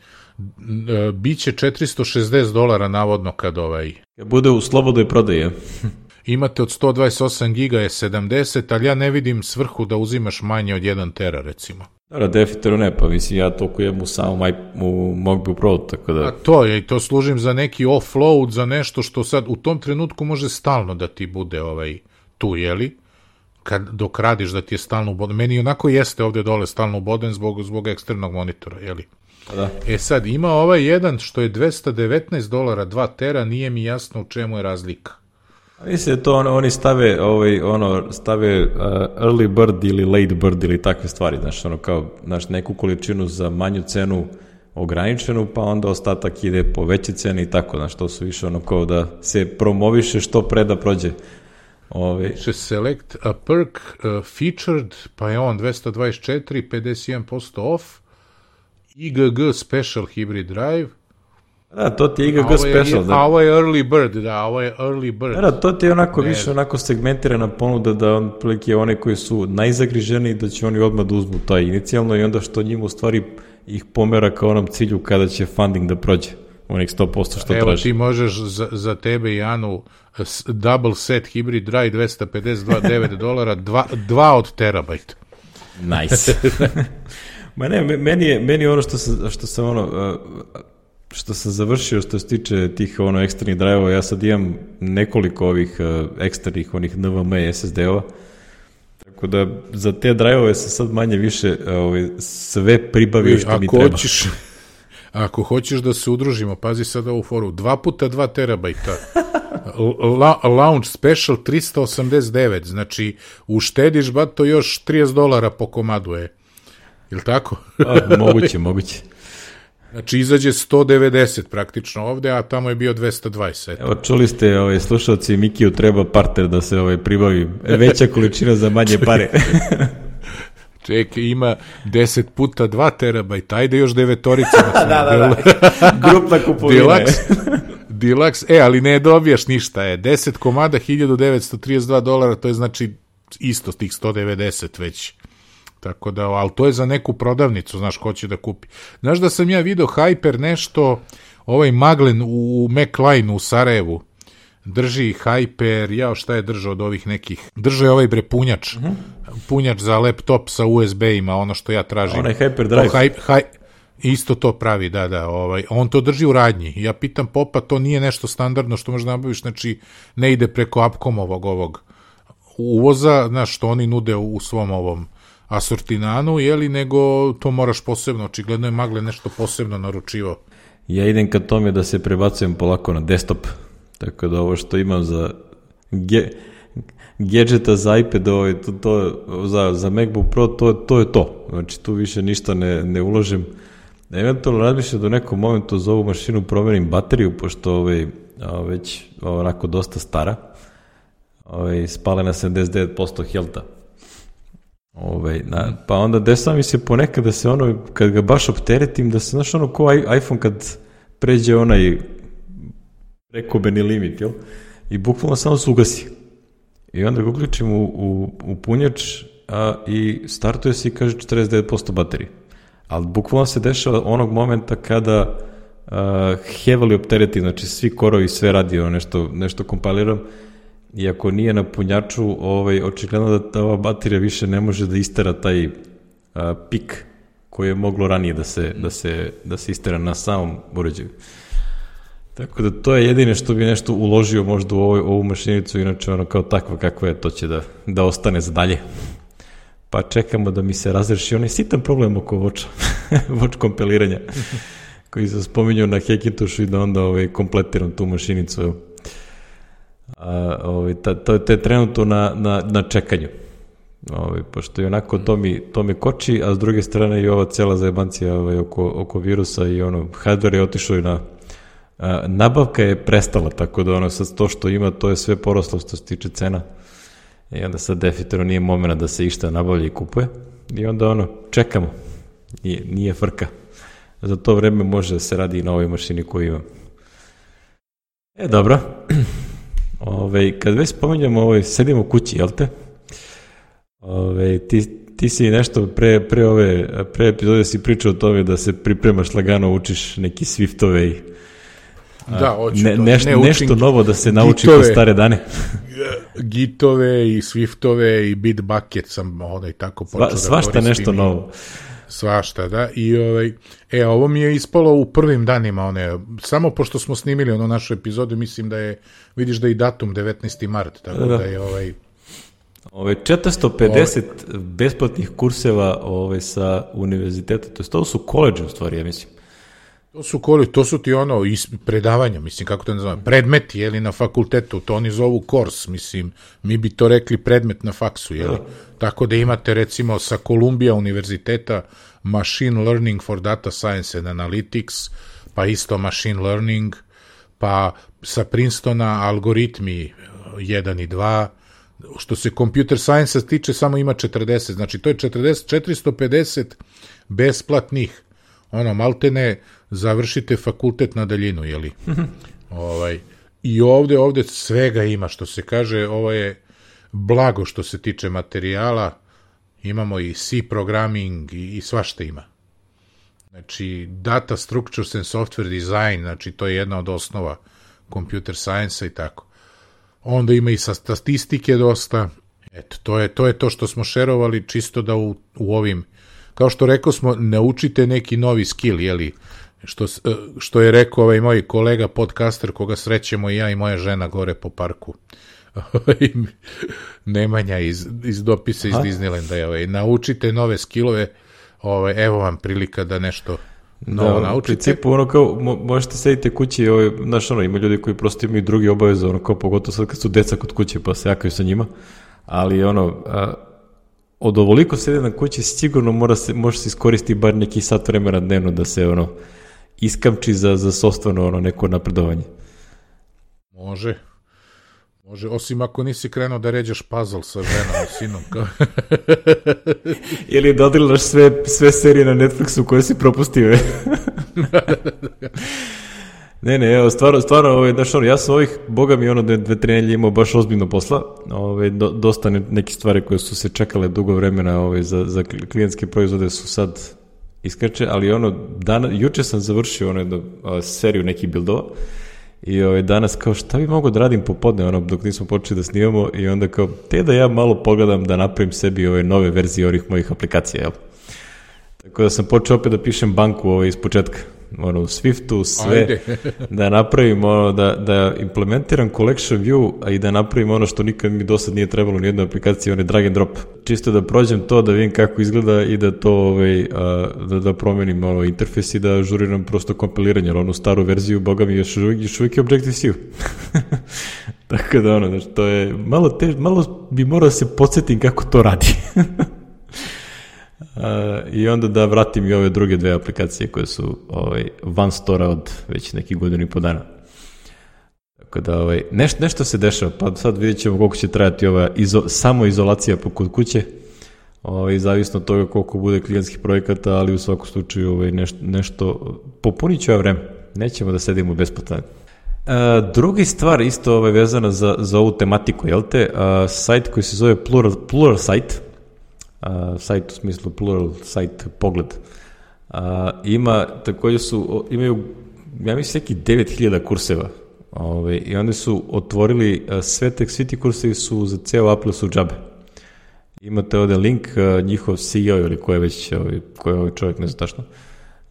biće četiristo šezdeset dolara navodno kad ovaj... Bude u slobodnoj prodaji. Imate od sto dvadeset osam giga je sedamdeset, ali ja ne vidim svrhu da uzimaš manje od jedan tera, recimo. Da, definitivno ne, pa mislim, ja toliko jem u samom u MacBook Pro, tako da... A to je, i to služim za neki offload, za nešto što sad u tom trenutku može stalno da ti bude ovaj, tu, jeli? Kad, dok radiš da ti je stalno uboden. Meni onako jeste ovde dole stalno uboden zbog, zbog eksternog monitora, jeli? Da. E sad, ima ovaj jedan što je dvesta devetnaest dolara, dva tera, nije mi jasno u čemu je razlika. Mislim da to on, oni stave, ovaj, ono, stave uh, early bird ili late bird ili takve stvari, znaš, ono kao, znaš, neku količinu za manju cenu ograničenu, pa onda ostatak ide po veće cene i tako, znaš, to su više ono kao da se promoviše što pre da prođe. Ove... Select a perk uh, featured, pa je on dvesta dvadeset četiri, pedeset jedan posto off, I G G Special Hybrid Drive. Da, to ti je I G G Special. Da. A ovo je Early Bird, da, ovo je Early Bird. Da, da, to ti je onako ne. više onako segmentirana ponuda da on prilike one koji su najzagriženiji da će oni odmah da uzmu taj inicijalno i onda što njima u stvari ih pomera ka onom cilju kada će funding da prođe. Onih sto posto što Evo, traži. ti možeš za, za tebe i Anu double set Hybrid Drive dvesta pedeset devet dolara, dva, dva od terabajta. Nice. Ma ne, meni je, meni je ono što sam, što sam ono, što sam završio što se tiče tih ono eksternih drive-ova, ja sad imam nekoliko ovih eksternih onih N V M e S S D-ova, tako da za te drive-ove se sad manje više ovaj, sve pribavio što ako mi treba. Hoćeš, ako hoćeš da se udružimo, pazi sad ovu foru, dva puta dva terabajta, La, launch special tristo osamdeset devet, znači uštediš ba to još trideset dolara po komadu je. Jel' tako? A, moguće, moguće. Znači, izađe sto devedeset praktično ovde, a tamo je bio dvesta dvadeset. Evo, čuli ste, ovaj, slušalci, Mikiju treba parter da se ovaj, pribavi. Veća količina za manje pare. Čekaj, ima deset puta dva terabajta, ajde još devetorica. da, da, da. Grupna kupovina. Deluxe, Deluxe, e, ali ne dobijaš ništa, je. deset komada, hiljadu devetsto trideset dva dolara, to je znači isto tih sto devedeset već. Tako da, ali to je za neku prodavnicu, znaš, ko će da kupi. Znaš da sam ja video Hyper nešto, ovaj Maglen u MacLine u Sarajevu, drži Hyper, jao šta je držao od ovih nekih, držao je ovaj bre punjač, uh-huh. punjač za laptop sa U S B-ima, ono što ja tražim. Onaj Hyperdrive. Hy, hy, isto to pravi, da, da, ovaj, on to drži u radnji. Ja pitam Popa, to nije nešto standardno što možda nabaviš, znači ne ide preko Upcomovog ovog uvoza, znaš, što oni nude u, u svom ovom asortinanu, jeli, nego to moraš posebno, očigledno je Magle nešto posebno naručivao. Ja idem ka tome da se prebacujem polako na desktop, tako da ovo što imam za ge, gadgeta za iPad, ovo, to, to, za, za MacBook Pro, to, to je to. Znači tu više ništa ne, ne uložim. Eventualno razmišljam da u nekom momentu za ovu mašinu promenim bateriju, pošto ovaj, već onako dosta stara, ovaj, spala na sedamdeset devet posto healtha. Ove, na, pa onda desa mi se ponekad da se ono, kad ga baš opteretim, da se, znaš, ono ko iPhone kad pređe onaj prekobeni limit, jel? I bukvalno samo se ugasi. I onda ga uključim u, u, u punjač a, i startuje se i kaže četrdeset devet posto baterije. Ali bukvalno se dešava onog momenta kada a, heavily opteretim, znači svi korovi, sve radi, ono, nešto, nešto kompiliram, i ako nije na punjaču, ovaj, očigledno da ova baterija više ne može da istera taj a, pik koji je moglo ranije da se, da se, da se istera na samom uređaju. Tako da to je jedine što bi nešto uložio možda u ovoj, ovu mašinicu, inače ono kao takva kakva je, to će da, da ostane za dalje. pa čekamo da mi se razreši onaj sitan problem oko voča, voč kompiliranja, koji se spominjao na Hackintošu i da onda ovaj, kompletiram tu mašinicu. A, ovaj, ta, to, to je trenutno na, na, na čekanju. Ovaj, pošto je onako to mi, to mi koči, a s druge strane i ova cela zajebancija ovaj, oko, oko virusa i ono, hardware je otišao i na a, nabavka je prestala, tako da ono sad to što ima, to je sve poroslo što se tiče cena. I onda sad definitivno nije momena da se išta nabavlja i kupuje. I onda ono, čekamo. Nije, nije frka. Za to vreme može da se radi i na ovoj mašini koju imam. E, dobro. Ove, kad već spominjamo, ovaj, sedimo u kući, jel te? Ove, ti, ti si nešto pre, pre ove pre epizode si pričao o tome da se pripremaš lagano, učiš neki Swiftove i da, hoću ne, to. Neš, ne nešto novo da se nauči gitove, po stare dane. Gitove i Swiftove i Bitbucket sam onaj tako počeo Sva, da svašta koristim. nešto novo. Svašta, da. I ovaj, e, ovo mi je ispalo u prvim danima, one, samo pošto smo snimili ono našu epizodu, mislim da je, vidiš da je i datum devetnaesti mart, tako da, da je ovaj... Ove četiristo pedeset ove... besplatnih kurseva ove, sa univerziteta, to je to su koledže u stvari, ja mislim. To su koli, to su ti ono predavanja, mislim, kako to nazivamo, predmeti, jeli, na fakultetu, to oni zovu kurs, mislim, mi bi to rekli predmet na faksu, jeli, da. Tako da imate, recimo, sa Columbia univerziteta Machine Learning for Data Science and Analytics, pa isto Machine Learning, pa sa Princetona algoritmi jedan i dva, što se computer science tiče, samo ima četrdeset, znači to je četrdeset, četiristo pedeset besplatnih, ono, maltene, završite fakultet na daljinu, jeli? ovaj, I ovde, ovde svega ima, što se kaže, ovo je blago što se tiče materijala, imamo i C programming i, i svašta ima. Znači, data structures and software design, znači to je jedna od osnova computer science i tako. Onda ima i sa statistike dosta, eto, to je to, je to što smo šerovali, čisto da u, u ovim, kao što rekao smo, naučite neki novi skill, jeli, što, što je rekao ovaj moj kolega podcaster, koga srećemo i ja i moja žena gore po parku. Nemanja iz, iz dopisa iz Aha. Disneylanda je, ovaj, naučite nove skillove, ovaj, evo vam prilika da nešto novo da, naučite. U principu, ono kao, mo, možete sedite kući, ovaj, znaš, ono, ima ljudi koji prosto imaju drugi obaveze, ono, kao pogotovo sad kad su deca kod kuće, pa se jakaju sa njima, ali, ono, a, od ovoliko sede na kući, sigurno mora se, može se iskoristiti bar neki sat vremena dnevno da se, ono, iskamči za, za sopstveno, ono, neko napredovanje. Može. Može, osim ako nisi krenuo da ređaš puzzle sa ženom i sinom. Kao... Ili dodilaš sve, sve serije na Netflixu koje si propustio. ne, ne, evo, stvarno, stvarno, ovaj, znaš, ono, ja sam ovih, boga mi, ono, dve, tri nedelje imao baš ozbiljno posla, ovaj, do, dosta ne, neke stvari koje su se čekale dugo vremena ovaj, za, za klijentske proizvode su sad iskreće, ali ono, dana, juče sam završio ono, do, o, seriju nekih buildova, i ovaj, danas kao šta bi mogo da radim popodne ono, dok nismo počeli da snimamo i onda kao te da ja malo pogledam da napravim sebi ove nove verzije ovih mojih aplikacija, jel? Tako da sam počeo opet da pišem banku ovaj, iz početka, ono, u Swiftu, sve, da napravim ono, da, da implementiram collection view, a i da napravim ono što nikad mi do sad nije trebalo u nijednoj aplikaciji, on je drag and drop. Čisto da prođem to, da vidim kako izgleda i da to, ovaj, a, da, da promenim ono, interfejs i da žuriram prosto kompiliranje, jer onu staru verziju, boga mi, još uvijek, još uvijek je Objective-C. Tako da, ono, znači, to je malo, tež, malo bi morao da se podsjetim kako to radi. Uh, i onda da vratim i ove druge dve aplikacije koje su ovaj, van stora od već nekih godina i po dana. Tako da ovaj, neš, nešto se dešava, pa sad vidjet ćemo koliko će trajati ova izo, samoizolacija kod kuće, ovaj, zavisno od toga koliko bude klijentskih projekata, ali u svakom slučaju ovaj, neš, nešto popunit ću ja vreme, nećemo da sedimo besplatno. Uh, drugi stvar isto ovaj, vezana za, za ovu tematiku, jel te, uh, sajt koji se zove Plural, Plural Site, Uh, sajt u smislu plural sajt pogled uh, ima također su imaju ja mislim neki devet hiljada kurseva ovaj, i onda su otvorili uh, sve tek svi ti kursevi su za ceo Apple su džabe. Imate ovde link, uh, njihov C E O ili ko je već ovaj, ko je ovaj čovjek, ne znam tačno,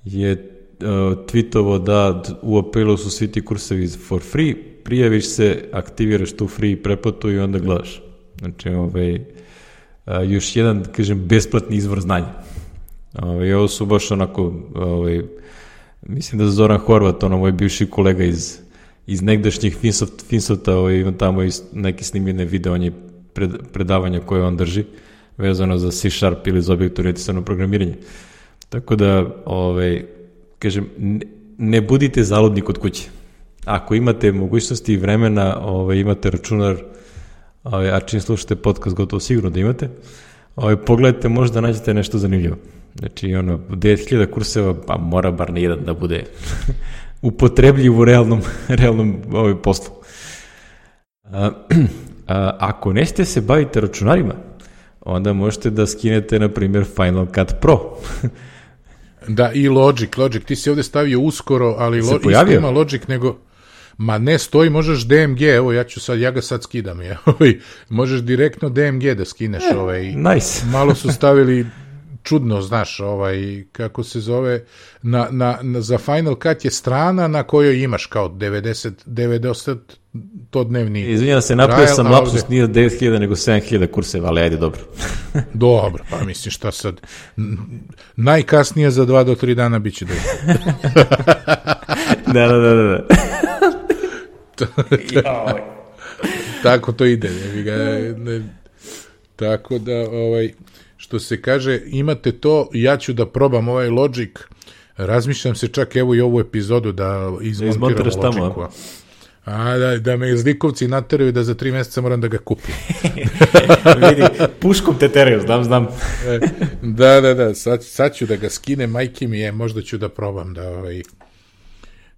je uh, tweetovo da u Apple su svi ti kursevi for free, prijaviš se, aktiviraš tu free pretplatu i onda gledaš. Znači ovaj još jedan, kažem, besplatni izvor znanja. Ovaj, ovo su baš onako, ovaj, mislim da Zoran Horvat, ono moj bivši kolega iz, iz negdašnjih Finsoft, Finsofta, ovaj, ima tamo neke snimljene video, on je pred, predavanja koje on drži, vezano za C Sharp ili za objektu-orijentisano programiranje. Tako da, ovaj, kažem, ne, ne budite zaludni kod kuće. Ako imate mogućnosti i vremena, ovaj, imate računar, ovaj, a čim slušate podcast, gotovo sigurno da imate, ovaj, pogledajte, možda nađete nešto zanimljivo. Znači, ono, devet hiljada kurseva, pa mora bar na jedan da bude upotrebljiv u realnom, realnom ovaj, poslu. A, a, ako nećete se baviti računarima, onda možete da skinete, na primjer, Final Cut Pro. Da, i Logic, Logic, ti si ovde stavio uskoro, ali lo, isto ima Logic, nego, ma ne stoji, možeš D M G, evo ja ću sad, ja ga sad skidam, ja, ovaj, možeš direktno D M G da skineš, e, ovaj, nice. Malo su stavili čudno, znaš, ovaj, kako se zove, na, na, na, za Final Cut je strana na kojoj imaš kao devedeset, devedeset to dnevni. Izvinjam se, napravio sam lapsus, ovde nije devet hiljada nego sedam hiljada kurseva, ali ajde, dobro. Dobro, pa mislim šta sad, najkasnije za dva do tri dana bit će dobro. da, da, da, da. Tako to ide, ne, ne, ne, tako da, ovaj, što se kaže, imate to, ja ću da probam ovaj Logic, razmišljam se čak evo i ovu epizodu da izmontiram Logicu. A da, da me zlikovci nateraju da za tri meseca moram da ga kupim. Vidi, puškom te teraju, znam, znam. da, da, da, sad, sad ću da ga skinem, majke mi je, možda ću da probam da, ovaj,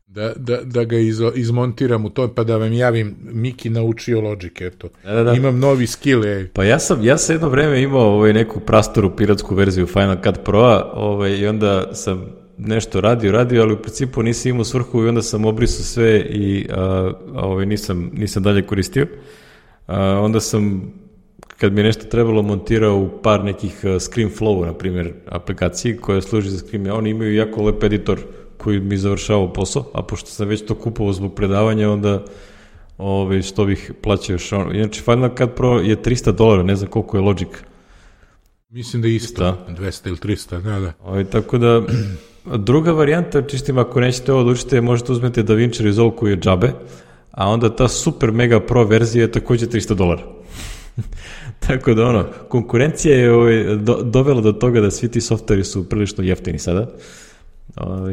da, da, da ga iz, izmontiram u to, pa da vam javim, Miki naučio Logic, eto. Da, da, da. Imam novi skill. Je. Pa ja sam, ja sam jedno vreme imao ovaj, neku prastoru piratsku verziju Final Cut Pro-a ovaj, i onda sam nešto radio, radio, ali u principu nisam imao svrhu i onda sam obrisao sve i a, a, ovaj, nisam, nisam dalje koristio. A, onda sam, kad mi je nešto trebalo, montirao u par nekih ScreenFlow, na primjer, aplikaciji koje služi za screen. Oni imaju jako lep editor koji mi završavao posao, a pošto sam već to kupovao zbog predavanja, onda ove, što bih plaćao još ono. Inače, Final Cut Pro je trista dolara, ne znam koliko je Logic. Mislim da je isto, dvesta ili trista, da, da. Ove, tako da, druga varijanta, čistim, ako nećete ovo da učite, možete uzmeti DaVinci Resolve koji je džabe, a onda ta super mega pro verzija je takođe trista dolara. Tako da, ono, konkurencija je ove, do, dovela do toga da svi ti softveri su prilično jeftini sada.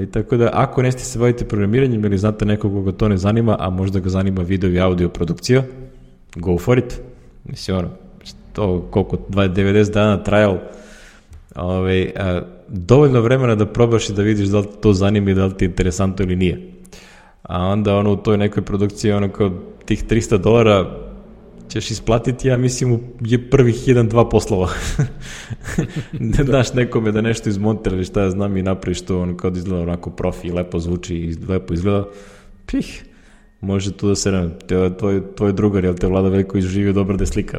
I tako da, ako neste se bavite programiranjem ili znate nekog koga to ne zanima, a možda ga zanima video i audio produkcija, go for it. Mislim, ono, to koliko, devedeset dana trial, ove, a, dovoljno vremena da probaš i da vidiš da li to zanima i da li ti je interesantno ili nije. A onda, ono, u toj nekoj produkciji, ono, kao tih trista dolara ćeš isplatiti, ja mislim, je prvih jedan, dva poslova. Ne daš nekome da nešto izmontira ili šta ja znam i napraviš to, ono, kao da izgleda onako profi, lepo zvuči i lepo izgleda, pih, može tu da se ne, tvoj, tvoj drugar, jel te Vlada Veljković živio dobro da je slika.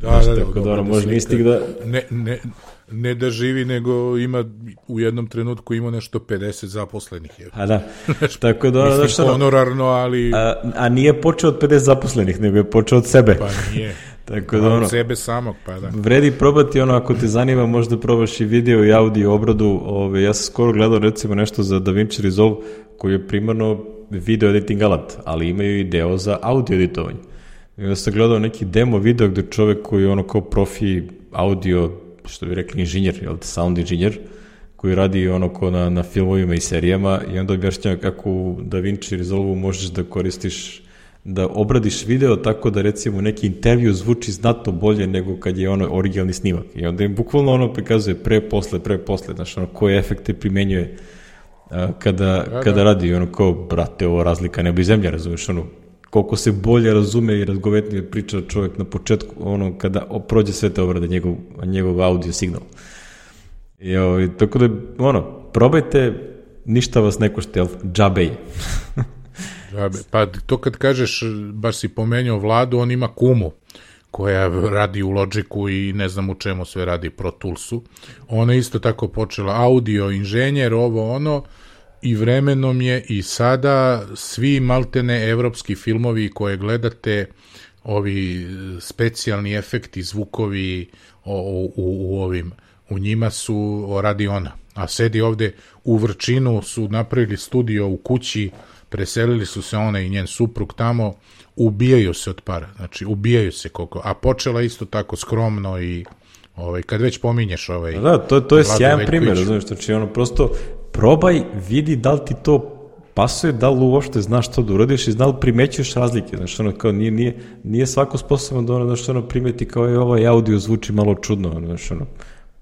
Da, znaš, da, da, tako da, ono, može mistik da... Ne, ne, ne da živi, nego ima u jednom trenutku ima nešto pedeset zaposlenih. Je. A da, tako da... Mislim, što, honorarno, ali... A, a nije počeo od pedeset zaposlenih, nego je počeo od sebe. Pa nije. Tako da, ono, od sebe samog, pa da. Vredi probati, ono, ako te zanima, možda probaš i video i audio obradu. Ove, ja sam skoro gledao, recimo, nešto za DaVinci Resolve, koji je primarno video editing alat, ali imaju i deo za audio editovanje. I onda sam gledao neki demo video gde čovek koji je ono kao profi audio, što bi rekli inženjer, jel te, sound inženjer, koji radi ono ko na, na filmovima i serijama i onda objašnjava kako u DaVinci Resolve možeš da koristiš, da obradiš video tako da recimo neki intervju zvuči znatno bolje nego kad je ono originalni snimak. I onda im bukvalno ono prikazuje pre, posle, pre, posle, znaš, ono koje efekte primenjuje a, kada, da, kada da. radi ono kao, brate, ovo razlika nebo i zemlja, razumeš, ono, koliko se bolje razume i razgovetnije priča čovjek na početku, ono, kada prođe sve te obrade, njegov, njegov audio signal. I, o, i tako da, ono, probajte, ništa vas ne košta, jel, džabe je. Džabe. Pa to kad kažeš, baš si pomenuo Vladu, on ima kumu koja radi u Logicu i ne znam u čemu sve radi, Pro Toolsu. Ona je isto tako počela audio inženjer, ovo ono, i vremenom je i sada svi maltene evropski filmovi koje gledate, ovi specijalni efekti, zvukovi o, u, u ovim, u njima su radi ona. A sedi ovde u Vrčinu, su napravili studio u kući, preselili su se ona i njen suprug tamo, ubijaju se od para, znači ubijaju se koliko, a počela isto tako skromno i ovaj, kad već pominješ ovaj... Da, to, to je sjajan primjer, znaš, znači ono, prosto probaj, vidi da li ti to pasuje, da li uopšte znaš što da uradiš i da li primećuješ razlike, znaš, ono, kao nije, nije, nije svako sposoban da ono, znaš, ono, primeti kao je ovaj audio zvuči malo čudno, znaš, ono,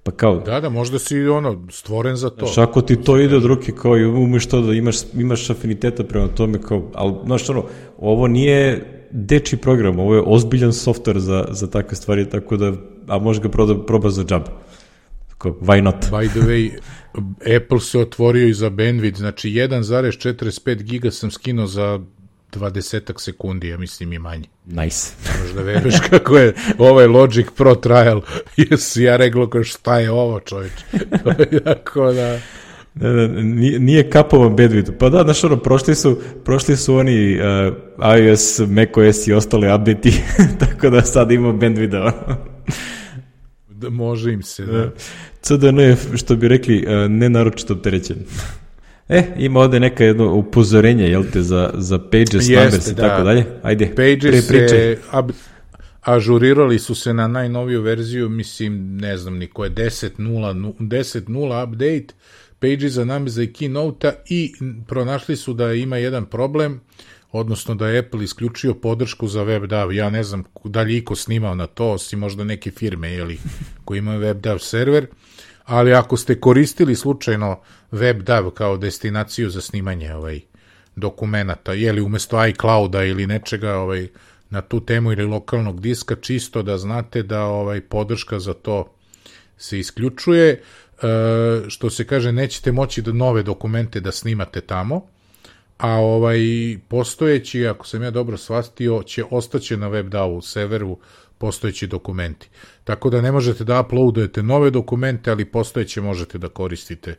pa kao... Da, da, možda si ono, stvoren za to. Znaš, ako ti to ide od ruke, kao i umeš to da imaš, imaš afiniteta prema tome, kao, ali, znaš, ono, ovo nije dečiji program, ovo je ozbiljan software za, za takve stvari, tako da, a možeš ga proba, proba za džab. Tako, why not? By the way, Apple se otvorio i za bandwidth, znači jedan zarez četrdeset pet giga sam skinuo za dvadesetak sekundi, ja mislim i manje. Nice. Možda veruješ kako je ovaj Logic Pro trial, jesi ja rekao kao šta je ovo, čovječ. Tako da... Da, da, nije, nije kapovan bandwidth. Pa da, znaš ono, prošli su, prošli su oni uh, iOS, macOS i ostale update-i, tako da sad ima bandwidth. Da, može im se, da. C D N je, što bi rekli, uh, nenaročito opterećen. E, ima ovde neka jedno upozorenje, jel te, za, za Pages, Numbers i tako dalje. Ajde, Pages se, ab, ažurirali su se na najnoviju verziju, mislim, ne znam ni ko je, deset nula update, Pages za Numbers i Keynote-a i pronašli su da ima jedan problem, odnosno da je Apple isključio podršku za WebDAV. Ja ne znam da li iko snimao na to, osim možda neke firme, jeli, koji imaju WebDAV server, ali ako ste koristili slučajno WebDAV kao destinaciju za snimanje ovaj, dokumenata, jeli umesto iCloud-a ili nečega ovaj, na tu temu ili lokalnog diska, čisto da znate da ovaj, podrška za to se isključuje, e, što se kaže, nećete moći da nove dokumente da snimate tamo, a ovaj postojeći, ako sam ja dobro shvatio, će ostaće na WebDAV-u serveru postojeći dokumenti. Tako da ne možete da uploadujete nove dokumente, ali postojeće možete da koristite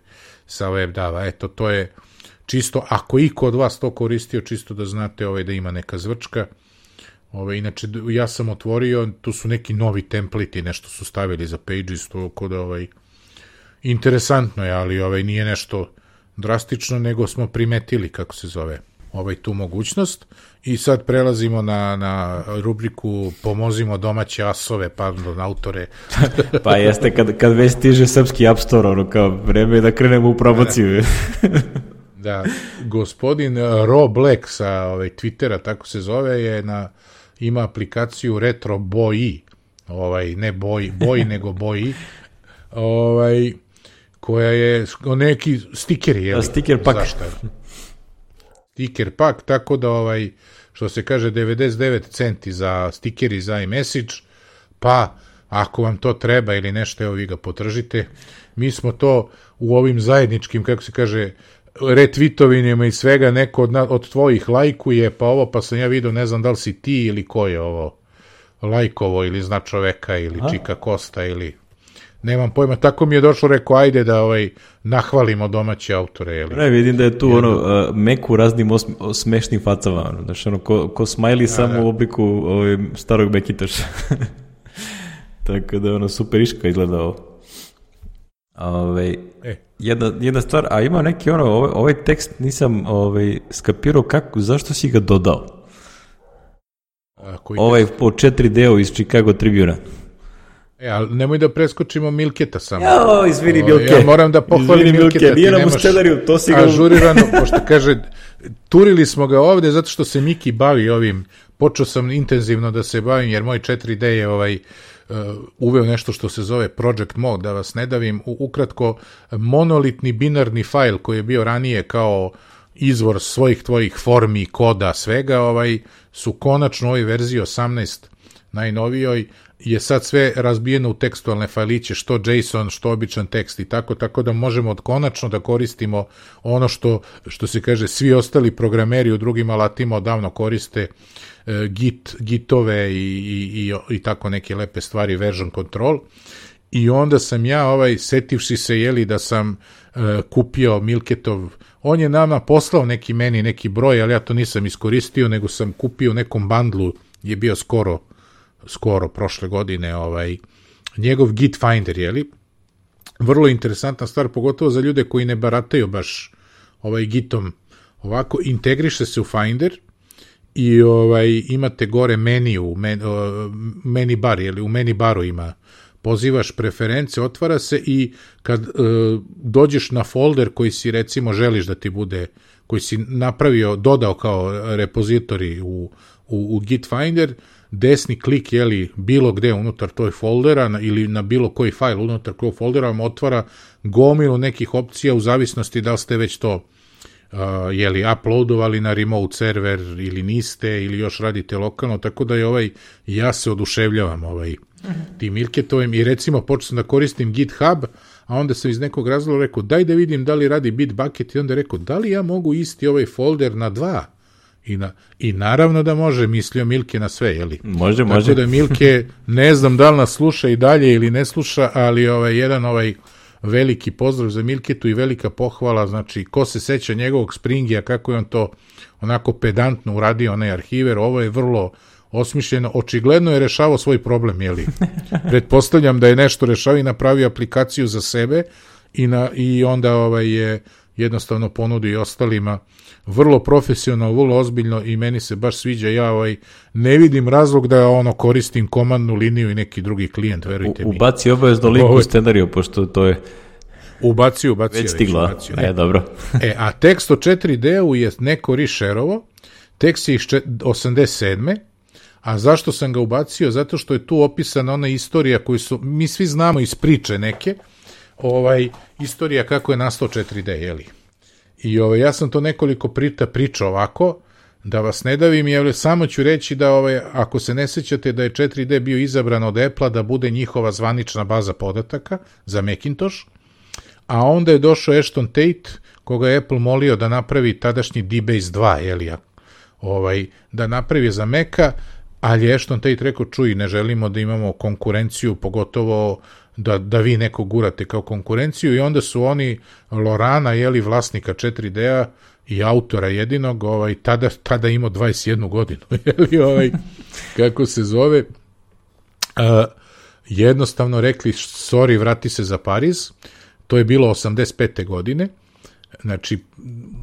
sa WebDAV-a. Eto, to je čisto, ako iko od vas to koristio, čisto da znate ovaj, da ima neka zvrčka. Ovaj, inače, ja sam otvorio, tu su neki novi templeti, nešto su stavili za Pages, to kod ovaj, interesantno je, ali ovaj, nije nešto drastično, nego smo primetili, kako se zove, ovaj, tu mogućnost. I sad prelazimo na, na rubriku Pomozimo domaće asove, pardon, autore. Pa jeste, kad, kad već stiže srpski App Store, ono kao vreme je da krenemo u promociju. Da, gospodin Ro Black sa ovaj, Twittera, tako se zove, je na, ima aplikaciju Retro Boji, ovaj, ne Boji, Boji, nego Boji, ovaj, koja je neki stikeri, je li? Stiker pak. Zašto? Stiker pak, tako da ovaj, što se kaže devedeset devet centi za stikeri za iMessage, pa ako vam to treba ili nešto, evo vi ga potržite. Mi smo to u ovim zajedničkim, kako se kaže, retweetovinjima i svega, neko od, od tvojih lajkuje, pa ovo, pa sam ja vidio, ne znam da li si ti ili ko je ovo lajkovo, ili zna čoveka, ili A? Čika Kosta, ili... Nemam pojma, tako mi je došlo, rekao, ajde da ovaj, nahvalimo domaće autore. Jeli. Ne, vidim da je tu ono, uh, Meku raznim os, smešnim facama, ono, znači ono, ko, ko smajli da, samo da. U obliku ovaj, starog Mekitaša. Tako da ono, super iška izgleda ovo. Ove, e. jedna, jedna stvar, a ima neki ono, ovaj, ovaj tekst nisam ovaj, skapirao kako, zašto si ga dodao? A, koji ovaj tekst? po četiri deo iz Chicago Tribuna. E, ali nemoj da preskočimo Milketa samo. Jao, izvini Milke. Ja moram da pohvalim izvini, Milketa. Milke. Nije nam u scenariju, to si ga... Ažurirano, pošto kaže, turili smo ga ovde zato što se Miki bavi ovim. Počeo sam intenzivno da se bavim, jer moj četiri D je ovaj, uh, uveo nešto što se zove Project Mode, da vas ne davim. U, ukratko, monolitni binarni fajl koji je bio ranije kao izvor svojih tvojih formi, koda, svega, ovaj, su konačno u ovoj verziji osamnaest najnovijoj, je sad sve razbijeno u tekstualne fajliće, što JSON, što običan tekst i tako, tako da možemo konačno da koristimo ono što, što se kaže, svi ostali programeri u drugim alatima odavno koriste, e, Git, Gitove i, i, i, i tako neke lepe stvari, version control. I onda sam ja, ovaj, setivši se, jeli, da sam e, kupio Milketov, on je nama poslao neki meni, neki broj, ali ja to nisam iskoristio, nego sam kupio u nekom bandlu je bio skoro, skoro prošle godine, ovaj, njegov Git Finder, jeli? Vrlo interesantna stvar, pogotovo za ljude koji ne barataju baš ovaj Gitom, ovako, integriše se u Finder i ovaj, imate gore menu, men, menu bar, jeli? U menu baru ima, pozivaš preference, otvara se i kad uh, dođeš na folder koji si recimo želiš da ti bude, koji si napravio, dodao kao repozitorij u, u, u Git Finder, desni klik, jeli, bilo gde unutar toj foldera na, ili na bilo koji fajl unutar tog foldera vam otvara gomilu nekih opcija u zavisnosti da li ste već to uh, jeli, uploadovali na remote server ili niste ili još radite lokalno, tako da je ovaj, ja se oduševljavam ovaj, tim Milketovim i recimo počeo sam da koristim GitHub, a onda sam iz nekog razloga rekao daj da vidim da li radi Bitbucket i onda rekao da li ja mogu isti ovaj folder na dva I, na, i naravno da može, mislio Milke na sve, jeli? Može, tako može. Tako da Milke, ne znam da li nas sluša i dalje ili ne sluša, ali ovaj, jedan ovaj veliki pozdrav za Milketu i velika pohvala, znači, ko se seća njegovog Springija, kako je on to onako pedantno uradio, onaj arhiver, ovo je vrlo osmišljeno, očigledno je rešavao svoj problem, jeli? Pretpostavljam da je nešto rešao i napravio aplikaciju za sebe i, na, i onda ovaj, je jednostavno ponudi ostalima vrlo profesionalno, vrlo ozbiljno i meni se baš sviđa, ja ovaj, ne vidim razlog da ono koristim komandnu liniju i neki drugi klijent, verujte U, mi. ubaci obavezno link u scenariju, pošto to je ubacio, ubacio. već stiglo, ubacio, e, dobro. e, a tekst o četiri D-u je neko rešerovo, tekst je iz osamdeset sedme A zašto sam ga ubacio? Zato što je tu opisana ona istorija koju su, mi svi znamo iz priče neke, ovaj, istorija kako je nastao četiri D, jeli? I ovaj, ja sam to nekoliko prita pričao ovako, da vas ne davim, jel, samo ću reći da ovaj, ako se ne sećate da je četiri D bio izabran od Apple-a da bude njihova zvanična baza podataka za Macintosh, a onda je došao Ashton Tate, koga je Apple molio da napravi tadašnji D Base dva, jel, ovaj, da napravi za Maca, ali je Ashton Tate rekao, čuj, ne želimo da imamo konkurenciju, pogotovo da, da vi neko gurate kao konkurenciju, i onda su oni Lorana, jeli, vlasnika četiri D-a i autora jedinog, ovaj, tada, tada imao dvadeset jednu godinu, jeli, ovaj, kako se zove, uh, jednostavno rekli, sorry, vrati se za Pariz, to je bilo osamdeset pete godine, znači,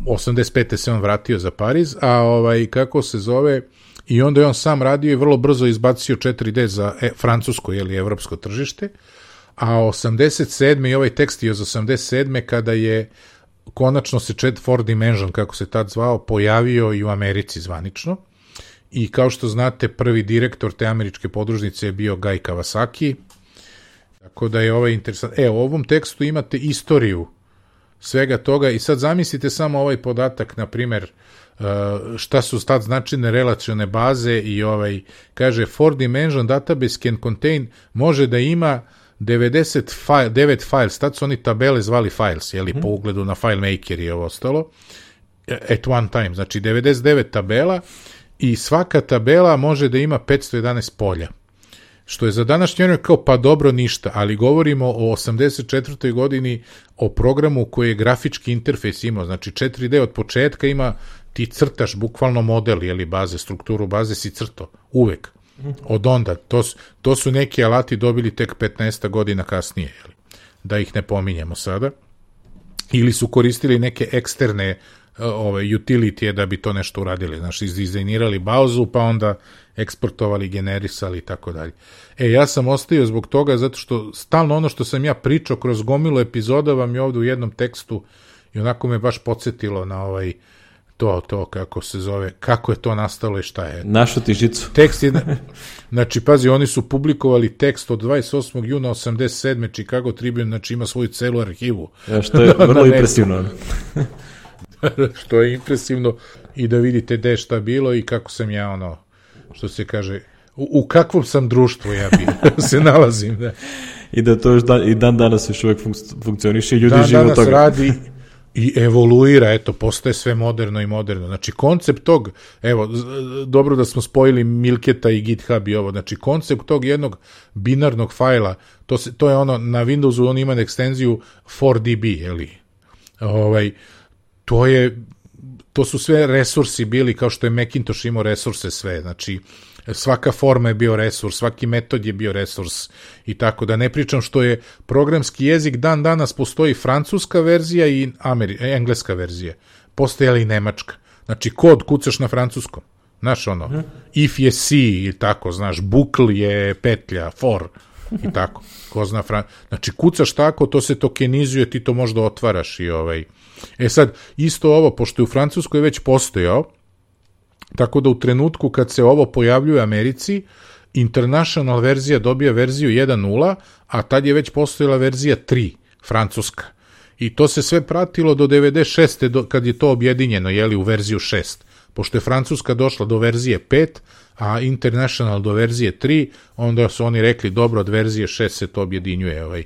osamdeset pete se on vratio za Pariz, a ovaj, kako se zove, i onda je on sam radio i vrlo brzo izbacio četiri D za e, francusko ili evropsko tržište, a osamdeset sedme i ovaj tekst je iz osamdeset sedme kada je konačno se four Dimension, kako se tad zvao, pojavio i u Americi zvanično. I kao što znate, prvi direktor te američke podružnice je bio Guy Kawasaki, tako da je ovaj interesant. E, u ovom tekstu imate istoriju svega toga i sad zamislite samo ovaj podatak, na primjer, šta su tad značajne relacione baze i ovaj, kaže, four dimension database can contain, može da ima devedeset devet files, tad su oni tabele zvali files, jeli, mm-hmm. po ugledu na FileMaker i ovo ostalo, at one time, znači devedeset devet tabela i svaka tabela može da ima petsto jedanaest polja. Što je za današnje vreme kao pa dobro ništa, ali govorimo o osamdeset četvrtoj godini, o programu koji je grafički interfejs imao, znači četiri D od početka ima, ti crtaš bukvalno model, jeli, baze, strukturu baze si crto, uvek. Od onda, to, to su neki alati dobili tek petnaest godina kasnije, jeli, da ih ne pominjemo sada. Ili su koristili neke eksterne ove, utility da bi to nešto uradili, znači izdizajnirali bazu, pa onda eksportovali, generisali i tako dalje. E, ja sam ostavio zbog toga, zato što stalno ono što sam ja pričao kroz gomilu epizoda vam je ovde u jednom tekstu i onako me baš podsjetilo na ovaj to, to, kako se zove, kako je to nastalo i šta je. Našu ti žicu. Tekst je, znači, pazi, oni su publikovali tekst od dvadeset osmog juna osamdeset sedme Chicago Tribune, znači ima svoju celu arhivu. Ja, što je vrlo impresivno. Što je impresivno i da vidite gde šta bilo i kako sam ja, ono, što se kaže, u, u kakvom sam društvu ja bi se nalazim. Da. I da to još dan, i dan danas još uvek funkcioniše i ljudi dan žive od toga. Dan danas radi i evoluira, eto, postaje sve moderno i moderno. Znači, koncept tog, evo, dobro da smo spojili Milketa i GitHub i ovo, znači, koncept tog jednog binarnog fajla, to, se, to je ono, na Windowsu on ima ekstenziju four D B, jeli? Ovaj, to je, to su sve resursi bili, kao što je Macintosh imao resurse sve, znači, svaka forma je bio resurs, svaki metod je bio resurs i tako da ne pričam što je programski jezik dan danas postoji francuska verzija i Ameri, engleska verzija, postojala i nemačka. Znači kod kucaš na francuskom, znaš ono, hmm. if je C i tako, znaš, bukl je petlja, for i tako, ko zna fran... znači kucaš tako, to se tokenizuje, ti to možda otvaraš i ovaj. E sad, isto ovo, pošto je u Francuskoj već postojao, tako da u trenutku kad se ovo pojavljuje u Americi, international verzija dobija verziju jedan nula, a tad je već postojala verzija tri, francuska. I to se sve pratilo do devedeset šeste do, kad je to objedinjeno, jeli, u verziju šest. Pošto je francuska došla do verzije pet, a international do verzije tri, onda su oni rekli, dobro, od verzije šest se to objedinjuje. Ovaj.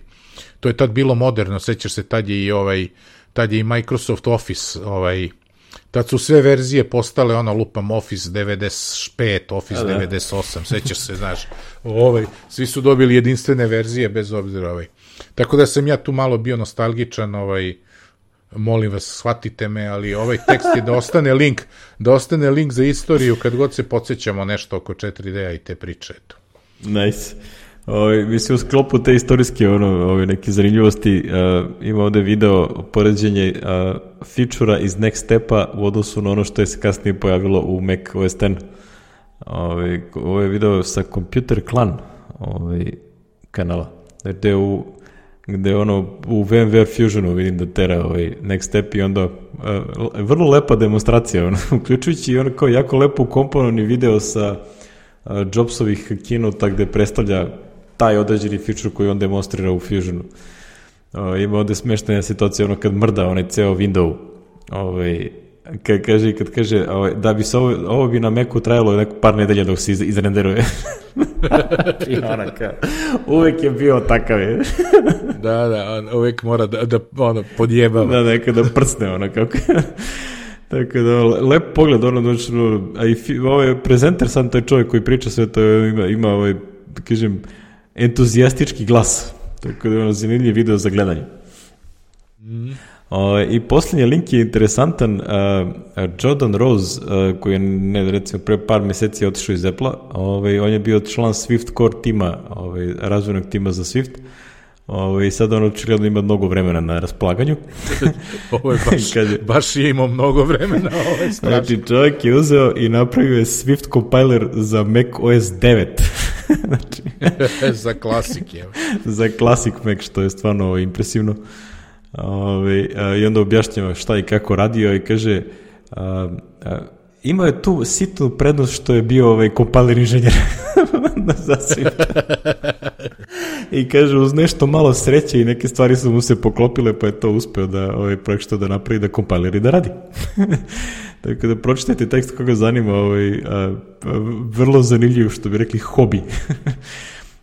To je tad bilo moderno, sećaš se, tad je i, ovaj, tad je i Microsoft Office, ovaj, tad su sve verzije postale, ono, lupam, Office devedeset pet, Office da. devedeset osam, sećaš se, znaš, ovaj, svi su dobili jedinstvene verzije, bez obzira, ovaj. Tako da sam ja tu malo bio nostalgičan, ovaj, molim vas, shvatite me, ali ovaj tekst je da ostane link, da ostane link za istoriju kad god se podsjećamo nešto oko četiri D-a i te priče, eto. Nice. Ove, mislim, u sklopu te istorijske ono, ove, neke zanimljivosti uh, ima ovde video poređenje uh, feature-a iz Next Step-a u odnosu na ono što je se kasnije pojavilo u Mac O S X. Ove, ovo je video sa Computer Clan ove, kanala, gde u gde ono u VMware Fusionu vidim da tera ovaj Next Step i onda uh, vrlo lepa demonstracija, ono, uključujući i ono kao jako lepo ukomponovani video sa uh, Jobsovih keynote-a gde predstavlja taj određeni feature koji on demonstrira u Fusionu. Uh, ima ovde smeštena situacija, ono kad mrda onaj ceo window, ovaj, kad kaže, kad kaže ovaj, da bi se ovo, ovo bi na Macu trajalo neko par nedelja dok se iz, izrenderuje. I ona kao, uvek je bio takav je. Da, da, on uvek mora da, da ono, podjebava. Da, nekad da prcne ona kako. Tako da, lep pogled, ono, znači, a i ovaj prezenter, sam taj čovjek koji priča sve to, ima, ima ovaj, da kažem, entuzijastički glas. Tako da je ono zanimljiv video za gledanje. Mm. O, i posljednji link je interesantan. uh, Jordan Rose, uh, koji je ne, recimo pre par meseci otišao iz Apple-a, ovaj, on je bio član Swift Core tima, ovaj, razvojnog tima za Swift, ovaj, i sad on očigledno ima mnogo vremena na raspolaganju. Ovo je baš, je, baš je imao mnogo vremena, ovo je strašno. Znači čovjek je uzeo i napravio je Swift compiler za Mac O S devet. Znači, za klasik je. Za klasik Mac, što je stvarno impresivno. Ove, a, i onda objašnjava šta i kako radio i kaže a, a, imao je tu sitnu prednost što je bio ovaj kompiler inženjer za Swift. I kaže uz nešto malo sreće i neke stvari su mu se poklopile pa je to uspeo da ovaj projekt što da napravi da kompiler i da radi. Tako da pročitajte tekst koga zanima, ovaj, a, a, vrlo zanimljiv, što bi rekli, hobi.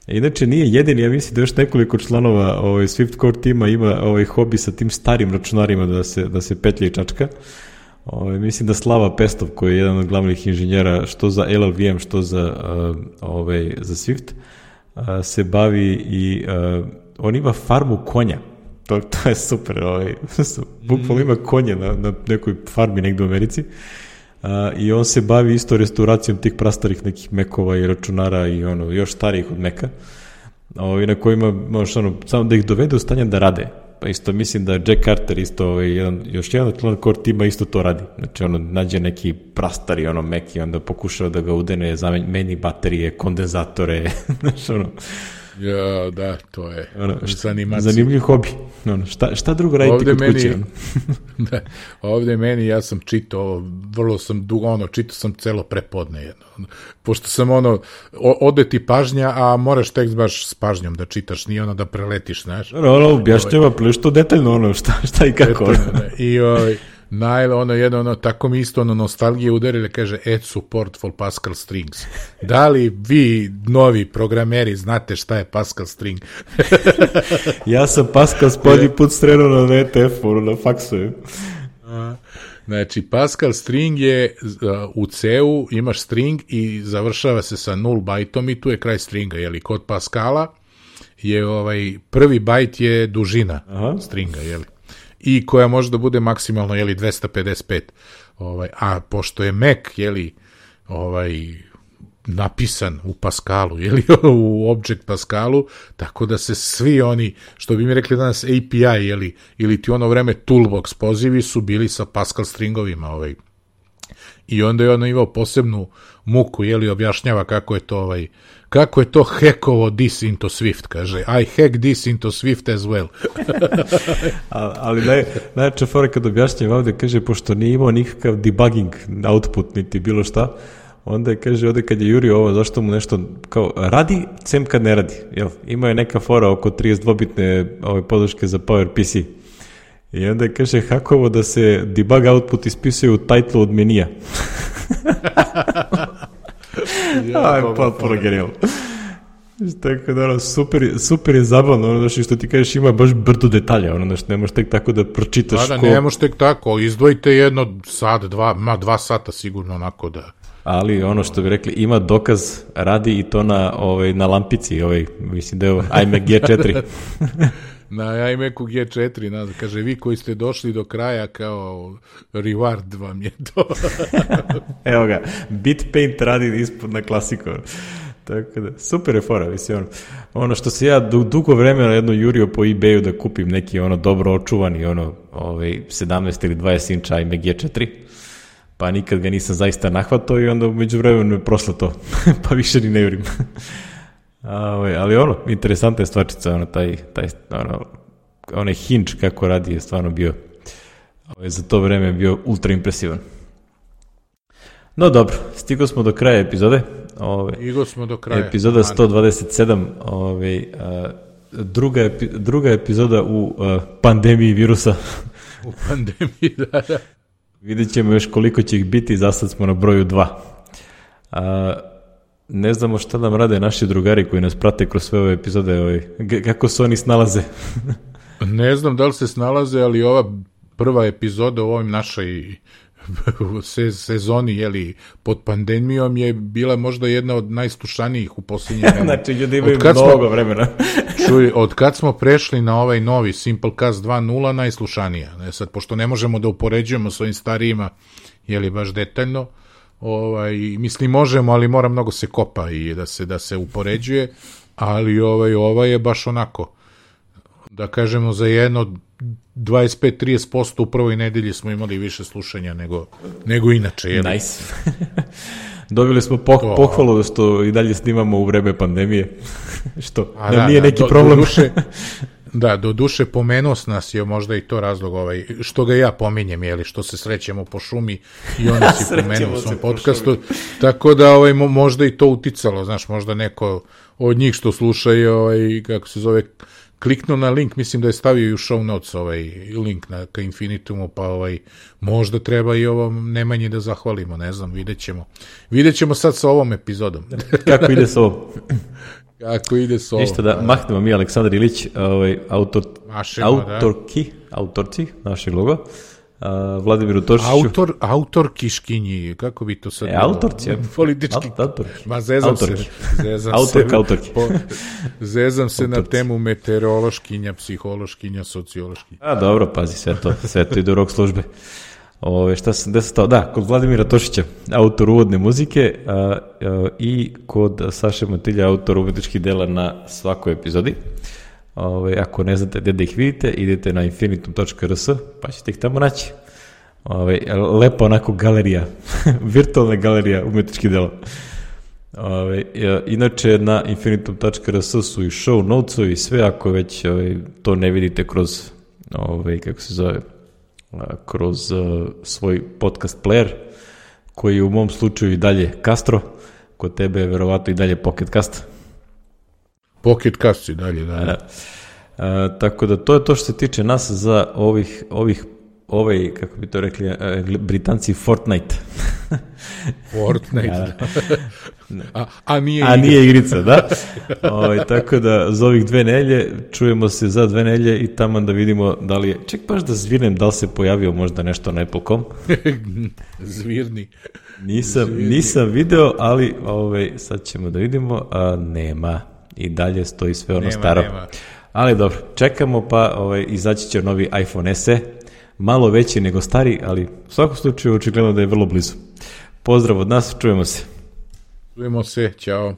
Inače nije jedini, ja mislim da još nekoliko članova ovaj, Swift Core tima ima ovaj hobi sa tim starim računarima da se, da se petlja i čačka. Ovaj, mislim da Slava Pestov, koji je jedan od glavnih inženjera što za L L V M, što za, uh, ovaj, za Swift, uh, se bavi i uh, on ima farmu konja. To, to je super. Ovaj, bukvalno ima konje na, na nekoj farmi negde u Americi. Uh, i on se bavi isto restauracijom tih prastarih nekih Mekova i računara i ono, još starijih od Meka, uh, na kojima možeš ono, samo da ih dovede u stanje da rade. Pa isto mislim da Jack Carter isto, ovaj, jedan, još jedan član core tima isto to radi. Znači ono, nađe neki prastari ono Mek i onda pokušava da ga udene, zameni baterije, kondenzatore, znači ono. Ja, da, to je ono, šta, zanimljiv hobi. Ono, šta, šta drugo raditi ovde kod meni, kuće? Da, ovde meni, ja sam čitao, vrlo sam dugo, ono, čitao sam celo prepodne jedno. Pošto sam, ono, ode ti pažnja, a moraš tekst baš s pažnjom da čitaš, nije ono da preletiš, znaš. Ono, ono objašnjava plešto detaljno, ono, šta, šta i kako. Detaljno, I ovaj, naj, ono, jedno, ono, tako mi isto, ono, nostalgije udarili, kaže, add support for Pascal strings. Da li vi, novi programeri, znate šta je Pascal string? Ja sam Pascal spodnji put strenuo na V T F-u, na faksu. Znači, Pascal string je uh, u C-u, imaš string i završava se sa nul bajtom i tu je kraj stringa, jeli, kod Pascala je, ovaj, prvi bajt je dužina Aha. stringa, jeli. I koja može da bude maksimalno, jeli, dvesta pedeset pet. Ovaj, a pošto je Mac, jeli, ovaj, napisan u Pascalu, ili u Object Pascalu, tako da se svi oni, što bi mi rekli danas A P I, ili, ili ti ono vreme Toolbox pozivi su bili sa Pascal stringovima, ovaj. I onda je ono imao posebnu muku, jeli, objašnjava kako je to, ovaj, kako je to hackovo this into Swift, kaže, I hack this into Swift as well. Ali naj, najjača fora kad objašnjava ovde, kaže, pošto nije imao nikakav debugging output, niti bilo šta, onda je, kaže, ovde kad je jurio ovo, zašto mu nešto kao radi, sem kad ne radi. Jel? Ima je neka fora oko trideset dvobitne ove podrške za PowerPC. I onda je, kaže, hakovo da se debug output ispisuje u title od menija. Aj, potpuno genijalno. Tako da, ono, super, super je zabavno, ono, znaš, što ti kažeš, ima baš brdo detalja, ono, znaš, ne možeš tek tako da pročitaš. Da, da, ko... ne možeš tek tako, izdvojite jedno sat, dva, ma dva sata sigurno, onako da... Ali ono što bi rekli, ima dokaz, radi i to na, ovaj, na lampici, ovaj, mislim da je iMac G četiri. Na iMacu G četiri, na, kaže, vi koji ste došli do kraja, kao reward vam je to. Evo ga, Bitpaint radi ispod na klasiku. Tako da, super je fora, mislim, ono, ono što se ja dugo vremena jedno jurio po eBayu da kupim neki ono dobro očuvani, ono, ovaj, sedamnaest ili dvadeset inča iMac G četiri, pa nikad ga nisam zaista nahvatao i onda umeđu vremenu je prošlo to, pa više ni ne jurim. Ali ono, interesantna je stvarčica, ono, taj, taj, ono, onaj hinge kako radi je stvarno bio, ovaj, za to vreme je bio ultra impresivan. No dobro, stigo smo do kraja epizode. Ove, stigo smo do kraja. Epizoda sto dvadeset sedam, ove, a, druga, epi, druga epizoda u a, pandemiji virusa. U pandemiji, da, da. Vidjet ćemo još koliko će ih biti, za sad smo na broju dva. A, ne znamo šta nam rade naši drugari koji nas prate kroz sve ove epizode, ove, kako se oni snalaze. Ne znam da li se snalaze, ali ova prva epizoda u ovoj našoj sezoni, jeli, pod pandemijom je bila možda jedna od najslušanijih u posljednje vreme. Znači, ljudi imaju mnogo smo, vremena. čuj, od kad smo prešli na ovaj novi Simplecast dva nula, najslušanija. Ne, sad, pošto ne možemo da upoređujemo s ovim starijima, jeli, baš detaljno, ovaj, mislim, možemo, ali mora mnogo se kopa i da se, da se upoređuje, ali ovaj, ovaj je baš onako, da kažemo, za jedno dvadeset pet do trideset posto u prvoj nedelji smo imali više slušanja nego, nego inače. Jeli? Nice. Dobili smo poh to, pohvalu što i dalje snimamo u vreme pandemije, što nam da, nije neki do, problem. Do duše, da, do duše pomenuo nas je možda i to razlog, ovaj, što ga ja pominjem, jeli, što se srećemo po šumi i onda si pomenuo u svom podcastu, tako da ovaj, možda i to uticalo, znaš, možda neko od njih što sluša je, ovaj, kako se zove, kliknuo na link, mislim da je stavio i u show notes ovaj link na, ka Infinitumu, pa ovaj, možda treba i ovom Nemanji da zahvalimo, ne znam, vidjet ćemo. Vidjet ćemo sad sa ovom epizodom. Kako ide s ovom? Kako ide s ovom? Ništa da, mahnemo mi, Aleksandar Ilić, ovaj, autor, Mašemo, autorki, da. autorci našeg loga, Uh, Vladimiru Tošiću. Autor, autor Kiškinji, kako bi to sad... E, autorci, ja. Politički. Autorki. Ma zezam autorki. se. Zezam autorka, se, autorki. Po, zezam se autorci. Na temu meteorološkinja, psihološkinja, sociološkinja. A, dobro, pazi, sve to, sve to ide u rok službe. Ove, šta sam desatao? Da, kod Vladimira Tošića, autor uvodne muzike, a, a, i kod Saše Matilja, autor umetničkih dela na svakoj epizodi. Ove, ako ne znate gde da ih vidite, idete na infinitum tačka r s, pa ćete ih tamo naći. Ove, lepa onako galerija, virtualna galerija umetničkih dela. Ove, inače, na infinitum tačka r s su i show notes-ovi i sve, ako već ove, to ne vidite kroz, ove, kako se zove, kroz uh, svoj podcast player, koji je u mom slučaju i dalje Castro, kod tebe je verovatno i dalje Pocket Cast. Pocket Cast i dalje, da. da. A, tako da to je to što se tiče nas za ovih, ovih ovaj, kako bi to rekli, Britanci, Fortnite. Fortnite, da. A, a nije a nije igrica, da. O, tako da za ovih dve nelje čujemo se za dve nelje i tamo da vidimo da li je, ček baš da zvirnem da li se pojavio možda nešto na Apple dot com. Zvirni. Nisam, Zvirni. nisam video, ali ovaj, sad ćemo da vidimo, a nema. I dalje stoji sve ono nema, staro. Nema. Ali dobro, čekamo pa ovaj, izaći će novi iPhone S E, malo veći nego stari, ali u svakom slučaju očigledno da je vrlo blizu. Pozdrav od nas, čujemo se. Čujemo se, ćao.